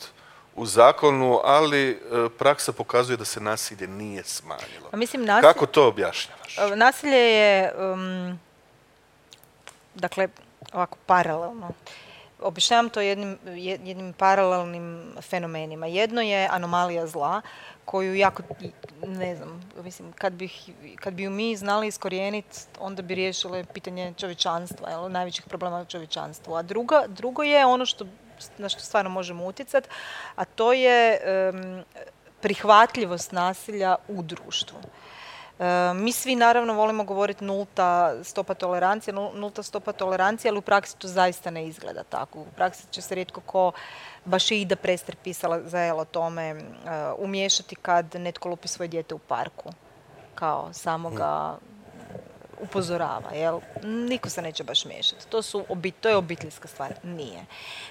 u zakonu, ali e, praksa pokazuje da se nasilje nije smanjilo. A mislim, nasilje, kako to objašnjavaš? Nasilje je... Um... Dakle, ovako paralelno. Objašnjavam to jednim, jednim paralelnim fenomenima. Jedno je anomalija zla, koju jako, ne znam, mislim, kad, bih, kad bi ju mi znali iskorijeniti, onda bi riješile pitanje čovječanstva, jel, najvećih problema u čovječanstvu. A druga, drugo je ono što, na što stvarno možemo utjecati, a to je um, prihvatljivost nasilja u društvu. E, mi svi naravno volimo govoriti nulta stopa tolerancije, nulta stopa tolerancije, ali u praksi to zaista ne izgleda tako. U praksi će se rijetko ko, baš i Ida Prester pisala za o tome, uh, umiješati kad netko lupi svoje dijete u parku. Kao samo ga upozorava, jel? Niko se neće baš miješati. To, su, to je obiteljska stvar. Nije.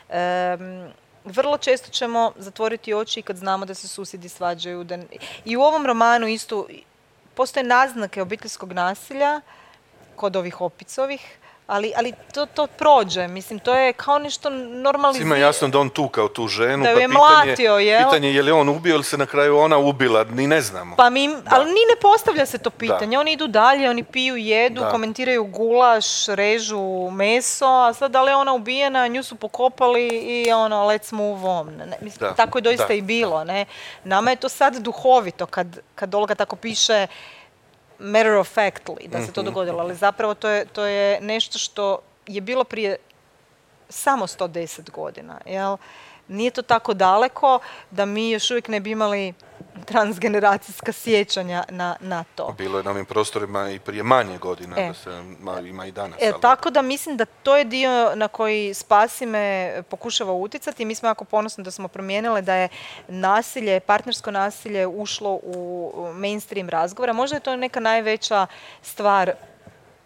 Um, vrlo često ćemo zatvoriti oči kad znamo da se susjedi svađaju. Da... I u ovom romanu isto postoje naznake obiteljskog nasilja kod ovih Opicovih, ali, ali to, to prođe. Mislim, to je kao nešto normalizirano. Svima jasno da on tukao tu ženu, da pa je pitanje, mlatio, jel? pitanje je li on ubio ili se na kraju ona ubila, ni ne znamo. Pa mi, ali ni ne postavlja se to pitanje. Da. Oni idu dalje, oni piju, jedu, da. komentiraju gulaš, režu meso, a sad da li je ona ubijena, nju su pokopali i ono, let's move on. Ne, mislim, da. Tako je doista da. i bilo. Ne? Nama je to sad duhovito kad, kad Olga tako piše matter of factly, da se to dogodilo, ali zapravo to je, to je nešto što je bilo prije samo sto deset godina. Jel? Nije to tako daleko da mi još uvijek ne bi imali transgeneracijska sjećanja na, na to. Bilo je na ovim prostorima i prije manje godina, e. da se ma, ima i danas. E, tako da mislim da to je dio na koji Spasi me pokušava utjecati i mi smo jako ponosni da smo promijenile da je nasilje, partnersko nasilje ušlo u mainstream razgovora. Možda je to neka najveća stvar.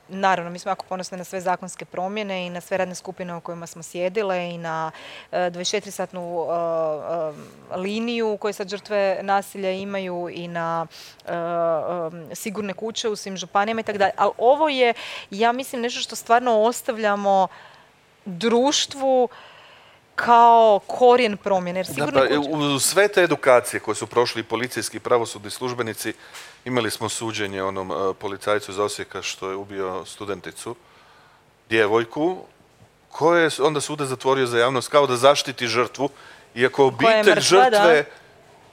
Naravno, mi smo jako ponosni na sve zakonske promjene i na sve radne skupine u kojima smo sjedile i na uh, dvadeset četiri satnu uh, uh, liniju koje sad žrtve nasilja imaju i na uh, um, sigurne kuće u svim županijama i tako dalje. Ali ovo je, ja mislim, nešto što stvarno ostavljamo društvu kao korijen promjene. Jer sigurno da, pa, u sve te edukacije koje su prošli policijski i pravosudni službenici, imali smo suđenje onom uh, policajcu iz Osijeka što je ubio studenticu, djevojku, koje je onda sudac zatvorio za javnost kao da zaštiti žrtvu, iako obitelj mrtva, žrtve da.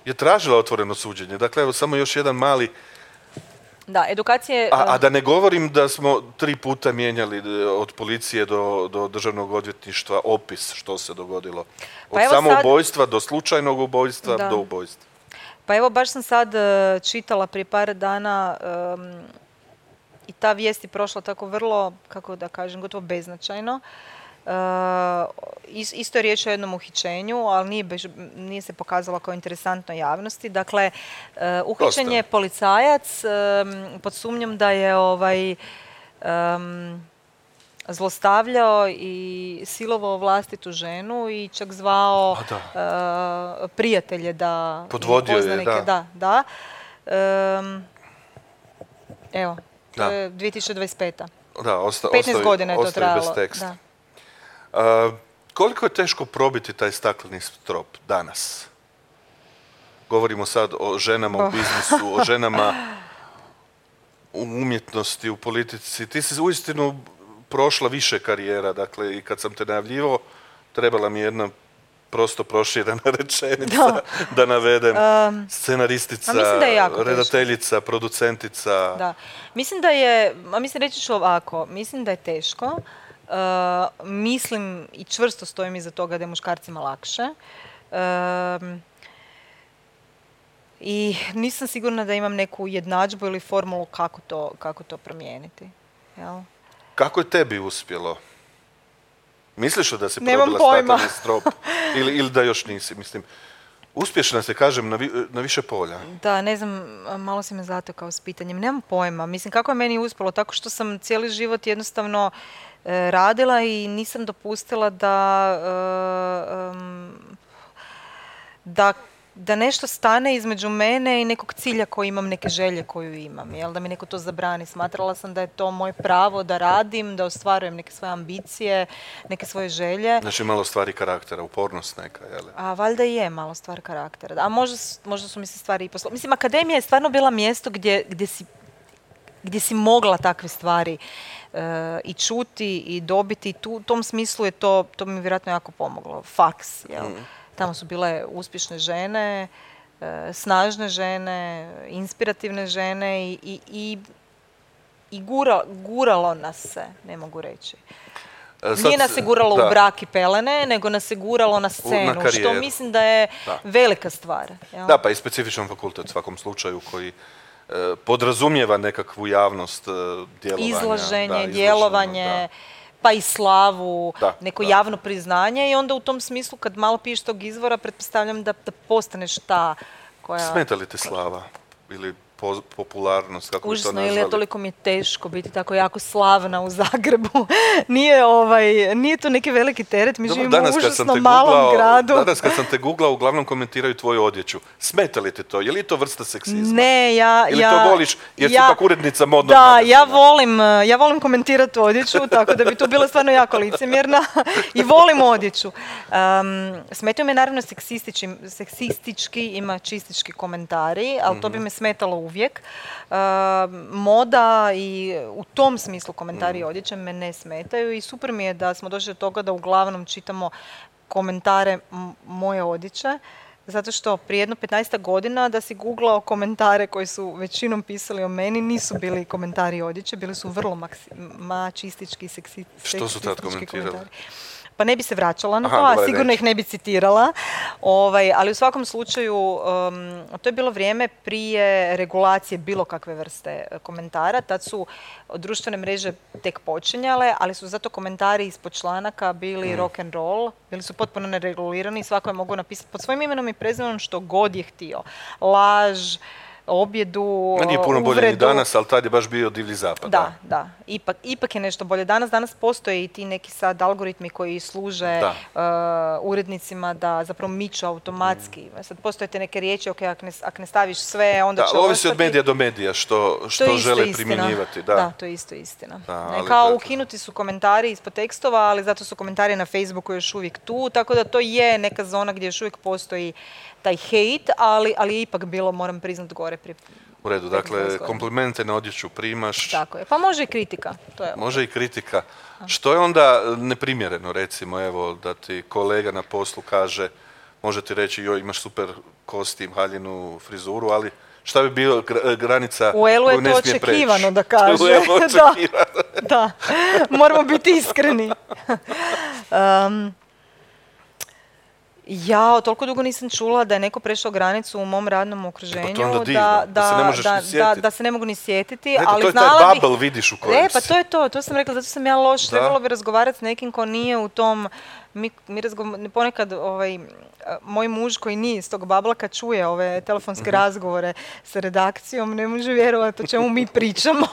je tražila otvoreno suđenje. Dakle, evo samo još jedan mali... Da, edukacije... A, a da ne govorim da smo tri puta mijenjali od policije do, do državnog odvjetništva opis što se dogodilo. Od pa samoubojstva sad... do slučajnog ubojstva da. do ubojstva. Pa evo, baš sam sad uh, čitala prije par dana um, i ta vijest je prošla tako vrlo, kako da kažem, gotovo beznačajno. Uh, isto je riječ o jednom uhićenju, ali nije, bež, nije se pokazalo kao interesantno javnosti. Dakle, uh, uhićen je policajac um, pod sumnjom da je ovaj, um, zlostavljao i silovao vlastitu ženu i čak zvao uh, prijatelje da... Podvodio je, da. Da, da. Um, evo, to da. je dvije tisuće dvadeset peta. Da, osta, petnaest ostavi, godina je to trajalo. Bez teksta. Da. Uh, koliko je teško probiti taj stakleni strop danas? Govorimo sad o ženama oh. u biznisu, o ženama u umjetnosti, u politici. Ti si uistinu prošla više karijera, dakle, i kad sam te najavljivao, trebala mi jedna prosto proširena rečenica da, da navedem. Um, Scenaristica, redateljica, teško. producentica. Da. Mislim da je, a mislim reći ću ovako, mislim da je teško. Uh, mislim i čvrsto stojim iza toga da je muškarcima lakše. Um, I nisam sigurna da imam neku jednadžbu ili formulu kako to, kako to promijeniti. Jel? Kako je tebi uspjelo? Misliš li da si probila stakleni strop? ili, ili da još nisi? Mislim, uspješna se, kažem, na, vi, na više polja. Da, ne znam, malo si me zatekao s pitanjem. Nemam pojma. Mislim, kako je meni uspjelo? Tako što sam cijeli život jednostavno e, radila i nisam dopustila da... E, um, da da nešto stane između mene i nekog cilja koji imam, neke želje koju imam, jel? Da mi neko to zabrani. Smatrala sam da je to moje pravo da radim, da ostvarujem neke svoje ambicije, neke svoje želje. Znači malo stvari karaktera, upornost neka, jel? A valjda je malo stvar karaktera. A možda, možda su mi se stvari i poslo... Mislim, akademija je stvarno bila mjesto gdje, gdje, si, gdje si mogla takve stvari uh, i čuti i dobiti. Tu, u tom smislu je to, to mi vjerojatno jako pomoglo. Faks, jel? Mm. Tamo su bile uspješne žene, e, snažne žene, inspirativne žene i, i, i, i gura, guralo nas se, ne mogu reći. Sad, Nije nas se guralo da. u brak i pelene, nego nas se guralo na scenu, na što mislim da je da. velika stvar. Jel? Da, pa i specifičan fakultet u svakom slučaju koji e, podrazumijeva nekakvu javnost e, djelovanja. Izlaženje, da, djelovanje, da. pa i slavu, Da, neko da. javno priznanje i onda u tom smislu kad malo piješ tog izvora pretpostavljam da, da postaneš ta koja... Smeta li te slava ili po, popularnost, kako bi to Užasno, nazvali? ili toliko mi je teško biti tako jako slavna u Zagrebu. nije, ovaj, nije to neki veliki teret, mi Dobro, živimo u danas kad sam užasno te malom googlao- gradu. Danas kad sam te googlao, uglavnom komentiraju tvoju odjeću. Smeta li te to? Je li to vrsta seksizma? Ne, ja... Ili ja, to voliš jer si ja- ipak urednica modnog Da, magazina? ja volim, ja volim komentirati odjeću, tako da bi tu bila stvarno jako licemjerna i volim odjeću. Um, smetaju me naravno seksistički, seksistički i mačistički komentari, ali to bi me smetalo uvijek. Um, moda i u tom smislu komentari i odjeće me ne smetaju i super mi je da smo došli do toga da uglavnom čitamo komentare m- moje odjeće. Zato što prije jedno petnaest godina da si googlao komentare koji su većinom pisali o meni, nisu bili komentari odjeće, bili su vrlo maksi- mačistički, seksi, Što su tad seksistički komentirali? komentari. Pa ne bi se vraćala na Aha, to, a dobro, sigurno neću. ih ne bi citirala. Ovaj, ali u svakom slučaju, um, to je bilo vrijeme prije regulacije bilo kakve vrste e, komentara. Tad su društvene mreže tek počinjale, ali su zato komentari ispod članaka bili rock and roll, bili su potpuno neregulirani i svako je mogao napisati pod svojim imenom i prezimenom što god je htio. Laž, objedu, Ma nije puno bolje ni uvredu. danas, ali tad je baš bio divlji zapad. Da, da. Ipak, ipak je nešto bolje. Danas, danas postoje i ti neki sad algoritmi koji služe Da. uh, urednicima da zapravo miču automatski. Sad postoje te neke riječi, ok, ako ne, ak ne staviš sve, onda Da, će ovisi od ostati. medija do medija što, To je što isto žele istina. primjenjivati. Da. Da, to je isto istina. Da, Ne, ali kao dakle- ukinuti su komentari ispod tekstova, ali zato su komentari na Facebooku još uvijek tu, tako da to je neka zona gdje još uvijek postoji taj hejt, ali, ali je ipak bilo, moram priznat, gore pri... U redu, dakle, petnaest godina. komplimente na odjeću primaš, Tako je. Pa može i kritika. To je može i kritika. Što je onda neprimjereno, recimo, evo, da ti kolega na poslu kaže, može ti reći, joj, imaš super kostim, haljinu, frizuru, ali šta bi bilo gra- granica U Elu koju je ne to smije preći? očekivano da kaže. U Elu je Da. očekivano. Da, moramo biti iskreni. Um, ja toliko dugo nisam čula da je neko prešao granicu u mom radnom okruženju, Pa to je onda da, divno, da se ne možeš da, ni da, sjetiti. da se ne mogu ni sjetiti, Eto, ali to je taj znala bih... bubble, vidiš, u kojem E, pa si. to je to, to sam rekla, zato sam ja loš, Da. trebalo bi razgovarati s nekim ko nije u tom, mi, mi razgo- ponekad ovaj, moj muž koji nije iz tog babla kad čuje ove telefonske Mhm. razgovore sa redakcijom, ne može vjerovati o čemu mi pričamo.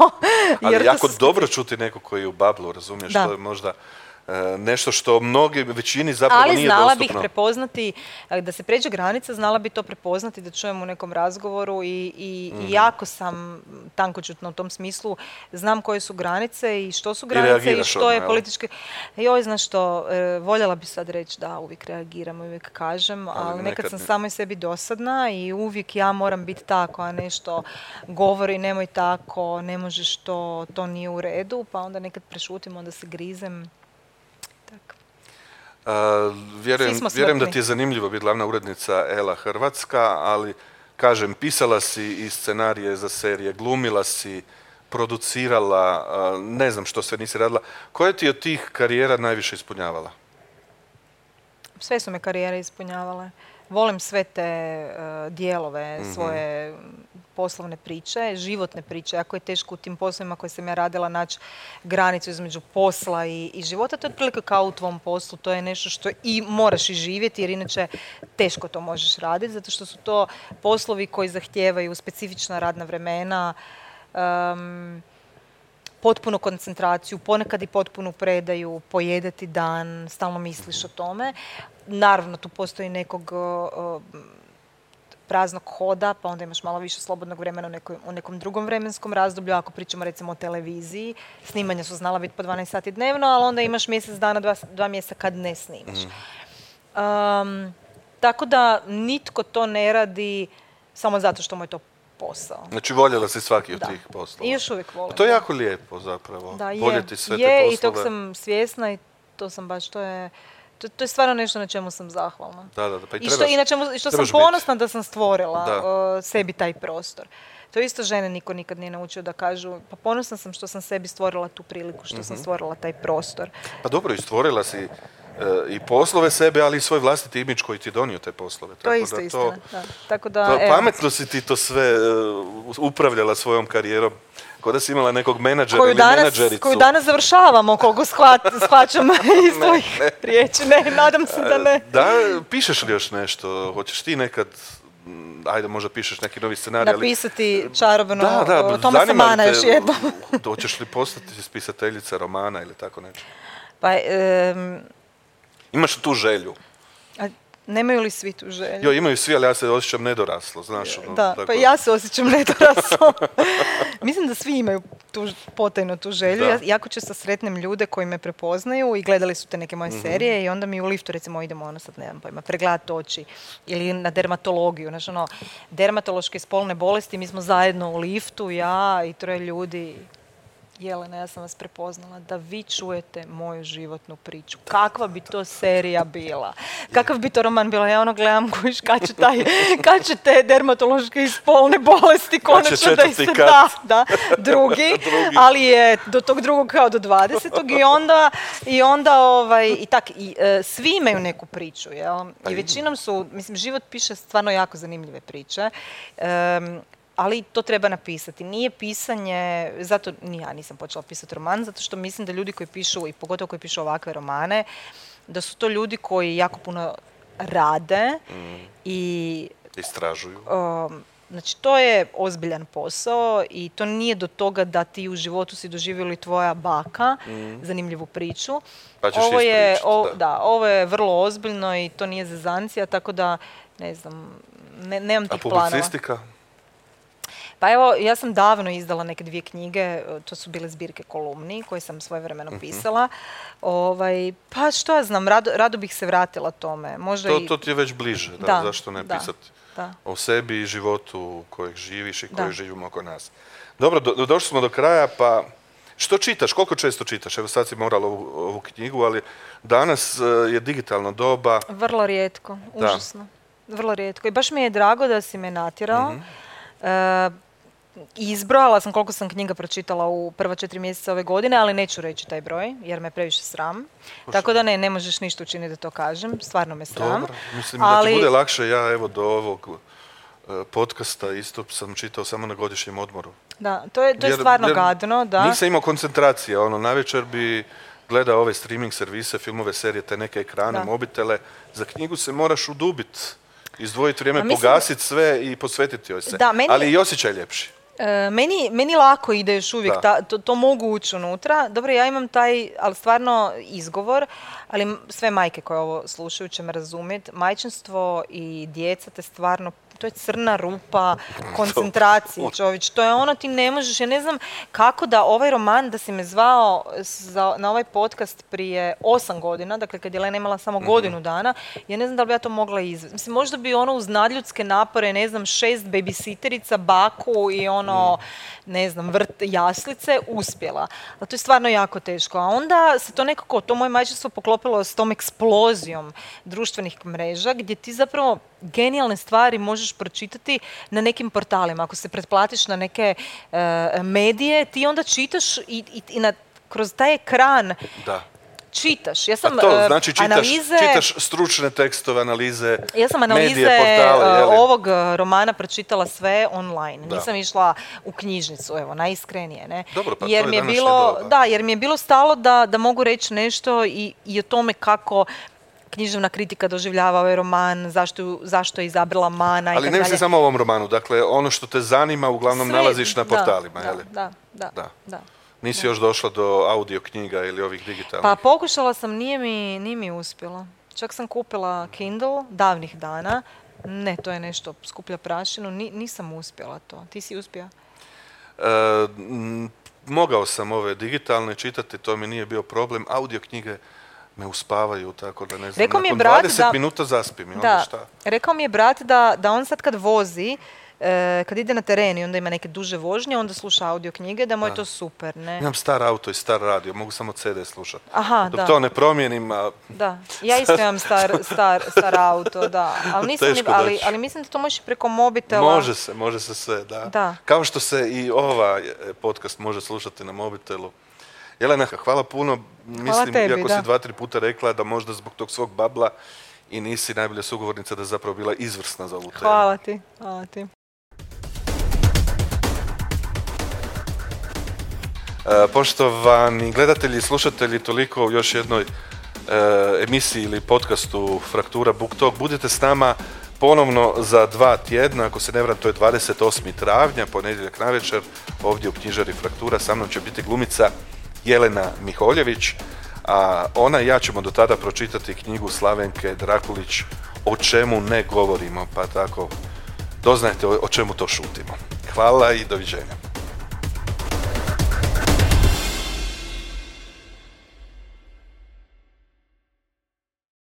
Ali jer to jako su- dobro čuti neko koji je u bablu, razumiješ, Da. to je možda e, nešto što mnogi, većini zapravo Ali nije znala dostupno. bih prepoznati, e, da se pređe granica, znala bi to prepoznati, da čujem u nekom razgovoru i, i, Mhm. i jako sam tankočutna u tom smislu. Znam koje su granice i što su granice i, reagiraš što odmah, je jel? politički... Joj, znaš što, e, voljela bi sad reći da uvijek reagiram, uvijek kažem, ali, Ali nekad, nekad sam ne. samoj sebi dosadna i uvijek ja moram biti ta koja nešto govori, nemoj tako, ne možeš to, to nije u redu, pa onda nekad prešutim, onda se grizem. Tako. A, vjerujem, Svi smo vjerujem da smrtni. ti je zanimljivo biti glavna urednica Ela Hrvatska, ali kažem, pisala si i scenarije za serije, glumila si, producirala, a, ne znam što sve nisi radila. Koja ti je od tih karijera najviše ispunjavala? Sve su me karijere ispunjavale. Volim sve te uh, dijelove svoje poslovne priče, životne priče. Jako je teško u tim poslovima koje sam ja radila naći granicu između posla i, i života. To je otprilike kao u tvom poslu. To je nešto što i moraš i živjeti, jer inače teško to možeš raditi, zato što su to poslovi koji zahtijevaju specifična radna vremena, um, potpunu koncentraciju, ponekad i potpunu predaju, pojedeti dan, stalno misliš o tome. Naravno, tu postoji nekog uh, praznog hoda, pa onda imaš malo više slobodnog vremena u, nekoj, u nekom drugom vremenskom razdoblju. Ako pričamo recimo o televiziji, snimanja su znala biti po dvanaest sati dnevno, ali onda imaš mjesec dana, dva, dva mjeseca kad ne snimaš. Um, tako da nitko to ne radi samo zato što mu je to posao. Znači, voljela si svaki od Da. tih poslova. I još uvijek volim. To je da. jako lijepo zapravo. Da, je, Voljeti sve je te i poslove. tog sam svjesna i to sam baš, to je, To, to je stvarno nešto na čemu sam zahvalna. Da, da, da. Pa i, I što, trebaš, i na čemu, što sam ponosna biti. Da sam stvorila uh, sebi taj prostor. To isto žene niko nikad nije naučio da kažu, pa ponosna sam što sam sebi stvorila tu priliku, što mm-hmm. sam stvorila taj prostor. Pa dobro, i stvorila si uh, i poslove sebe, ali i svoj vlastiti imidž koji ti donio te poslove. To Tako je isto da istina. To, da. Tako da, to, evo. pametno si ti to sve uh, upravljala svojom karijerom. Kao da si imala nekog menadžera koju ili danas, menadžericu. Koju danas završavamo, koliko shvat, shvaćam iz tvojih riječi. Ne, nadam se da ne. Da, pišeš li još nešto? Hoćeš ti nekad, ajde možda pišeš neki novi scenarij, napisati ali... čarobno da, da, Tomasa Mana još jednom. Hoćeš li postati spisateljica romana ili tako nešto? Pa, um... Imaš tu želju? A... Nemaju li svi tu želju? Jo, imaju svi, ali ja se osjećam nedoraslo, znaš. Ono, da, tako... pa ja se osjećam nedoraslo. Mislim da svi imaju tu, potajno tu želju. Ja jako često sretnem ljude koji me prepoznaju i gledali su te neke moje mm-hmm. serije i onda mi u liftu, recimo, idemo ono sad, nemam pojma, pregledati oči ili na dermatologiju. Znači, ono, dermatološke i spolne bolesti, mi smo zajedno u liftu, ja i troje ljudi. Jelena, ja sam vas prepoznala da vi čujete moju životnu priču. Kakva bi to serija bila? Kakav bi to roman bila? Ja ono gledam kojiš kad će, taj, kad će te dermatološke i spolne bolesti konačno da se da, da, drugi, drugi, ali je do tog drugog kao do dvadesetog i onda, i onda ovaj, i tak, i, e, svi imaju neku priču, jel? I većinom su, mislim, život piše stvarno jako zanimljive priče. Um, ali to treba napisati. Nije pisanje, zato ni ja nisam počela pisati roman, zato što mislim da ljudi koji pišu, i pogotovo koji pišu ovakve romane, da su to ljudi koji jako puno rade mm. i... istražuju. Um, znači, to je ozbiljan posao i to nije do toga da ti u životu si doživjeli tvoja baka, mm. zanimljivu priču. Pa ćeš ovo je, o, da. da, ovo je vrlo ozbiljno i to nije zezancija, tako da, ne znam, ne, nemam tih planova. A publicistika? Planova. Pa evo, ja sam davno izdala neke dvije knjige, to su bile zbirke kolumni koje sam svojevremeno uh-huh. pisala. Ovaj, pa što ja znam, rado, rado bih se vratila tome. Možda to, i... to ti je već bliže, da, da zašto ne da, pisati da. o sebi i životu kojeg živiš i kojeg da. živimo oko nas. Dobro, do, došli smo do kraja, pa što čitaš, koliko često čitaš? Evo sad si morala ovu, ovu knjigu, ali danas uh, je digitalno doba. Vrlo rijetko, užasno. Da. Vrlo rijetko. I baš mi je drago da si me natjerao. Mm-hmm. Uh, Izbrojala sam koliko sam knjiga pročitala u prva četiri mjeseca ove godine, ali neću reći taj broj, jer me previše sram. Pošto? Tako da ne, ne možeš ništa učiniti da to kažem, stvarno me sram. Dobro, mislim ali... da ti bude lakše, ja evo do ovog uh, podcasta isto sam čitao samo na godišnjem odmoru. Da, to je, to je jer, stvarno jer gadno, da. Nisam imao koncentracije, ono, navečer bi gledao ove streaming servise, filmove, serije, te neke ekrane, da. mobitele. Za knjigu se moraš udubiti, izdvojiti vrijeme, mislim... pogasiti sve i posvetiti joj se. Da, meni... Ali i osjećaj ljepši. E, meni, meni lako ide još uvijek, ta, to, to mogu ući unutra. Dobro, ja imam taj, ali stvarno izgovor, ali sve majke koje ovo slušaju će me razumjeti. Majčinstvo i djeca te stvarno, to je crna rupa koncentracije, čovječ. To je ono, ti ne možeš, ja ne znam kako da ovaj roman, da si me zvao za, na ovaj podcast prije osam godina, dakle kad je Lena imala samo godinu dana, ja ne znam da li bi ja to mogla izvesti. Mislim, možda bi ono uz nadljudske napore, ne znam, šest babysitterica, baku i ono, ne znam, vrt jaslice, uspjela. Ali to je stvarno jako teško. A onda se to nekako, to moje majčinstvo poklopilo s tom eksplozijom društvenih mreža, gdje ti zapravo genijalne stvari možeš pročitati na nekim portalima. Ako se pretplatiš na neke uh, medije, ti onda čitaš i, i, i na, kroz taj ekran da. čitaš. Ja sam, A to znači čitaš, analize, čitaš stručne tekstove, analize, ja sam analize medije, portale, uh, ovog romana pročitala sve online. Da. Nisam išla u knjižnicu, evo, najiskrenije. Ne? Dobro, pa jer to je mi je današnje bilo, doba. Da, jer mi je bilo stalo da, da mogu reći nešto i, i o tome kako književna kritika doživljava ovaj roman, zašto, zašto je izabrala Mana. Ali ne misli samo o ovom romanu, dakle ono što te zanima uglavnom sve, nalaziš na portalima, da, je li? Da, da, da. da. Nisi da. još došla do audio knjiga ili ovih digitalnih? Pa pokušala sam, nije mi, nije mi uspjelo. Čak sam kupila Kindle davnih dana. Ne, to je nešto, skuplja prašinu. Ni, nisam uspjela to. Ti si uspio? E, m, mogao sam ove digitalne čitati, to mi nije bio problem. Audio knjige me uspavaju, tako da ne znam, rekao nakon brat dvadeset da, minuta zaspim. I da, onda šta? Rekao mi je brat da, da on sad kad vozi, e, kad ide na teren i onda ima neke duže vožnje, onda sluša audio knjige, da mu je Da. to super, ne? Imam star auto i star radio, mogu samo ce de slušati. Aha, Dok da. to ne promijenim, a Da, ja isto imam star, star, star auto, da. Ali, nisam ni, Teško ali, doći. ali mislim da to možeš preko mobitela. može se, može se sve, da. Da. Kao što se i ovaj podcast može slušati na mobitelu. Jelena, hvala puno. Mislim, tebi, iako da. si dva, tri puta rekla da možda zbog tog svog babla i nisi najbolja sugovornica, da je zapravo bila izvrsna za ovu temu. Hvala ti, hvala ti. E, poštovani gledatelji i slušatelji, toliko u još jednoj e, emisiji ili podcastu Fraktura Book Talk. Budite s nama ponovno za dva tjedna, ako se ne varam, to je dvadeset osmi travnja, ponedjeljak navečer, ovdje u knjižari Fraktura. Sa mnom će biti glumica Jelena Miholjević, a ona i ja ćemo do tada pročitati knjigu Slavenke Drakulić O čemu ne govorimo, pa tako doznajte o, o čemu to šutimo. Hvala i doviđenja.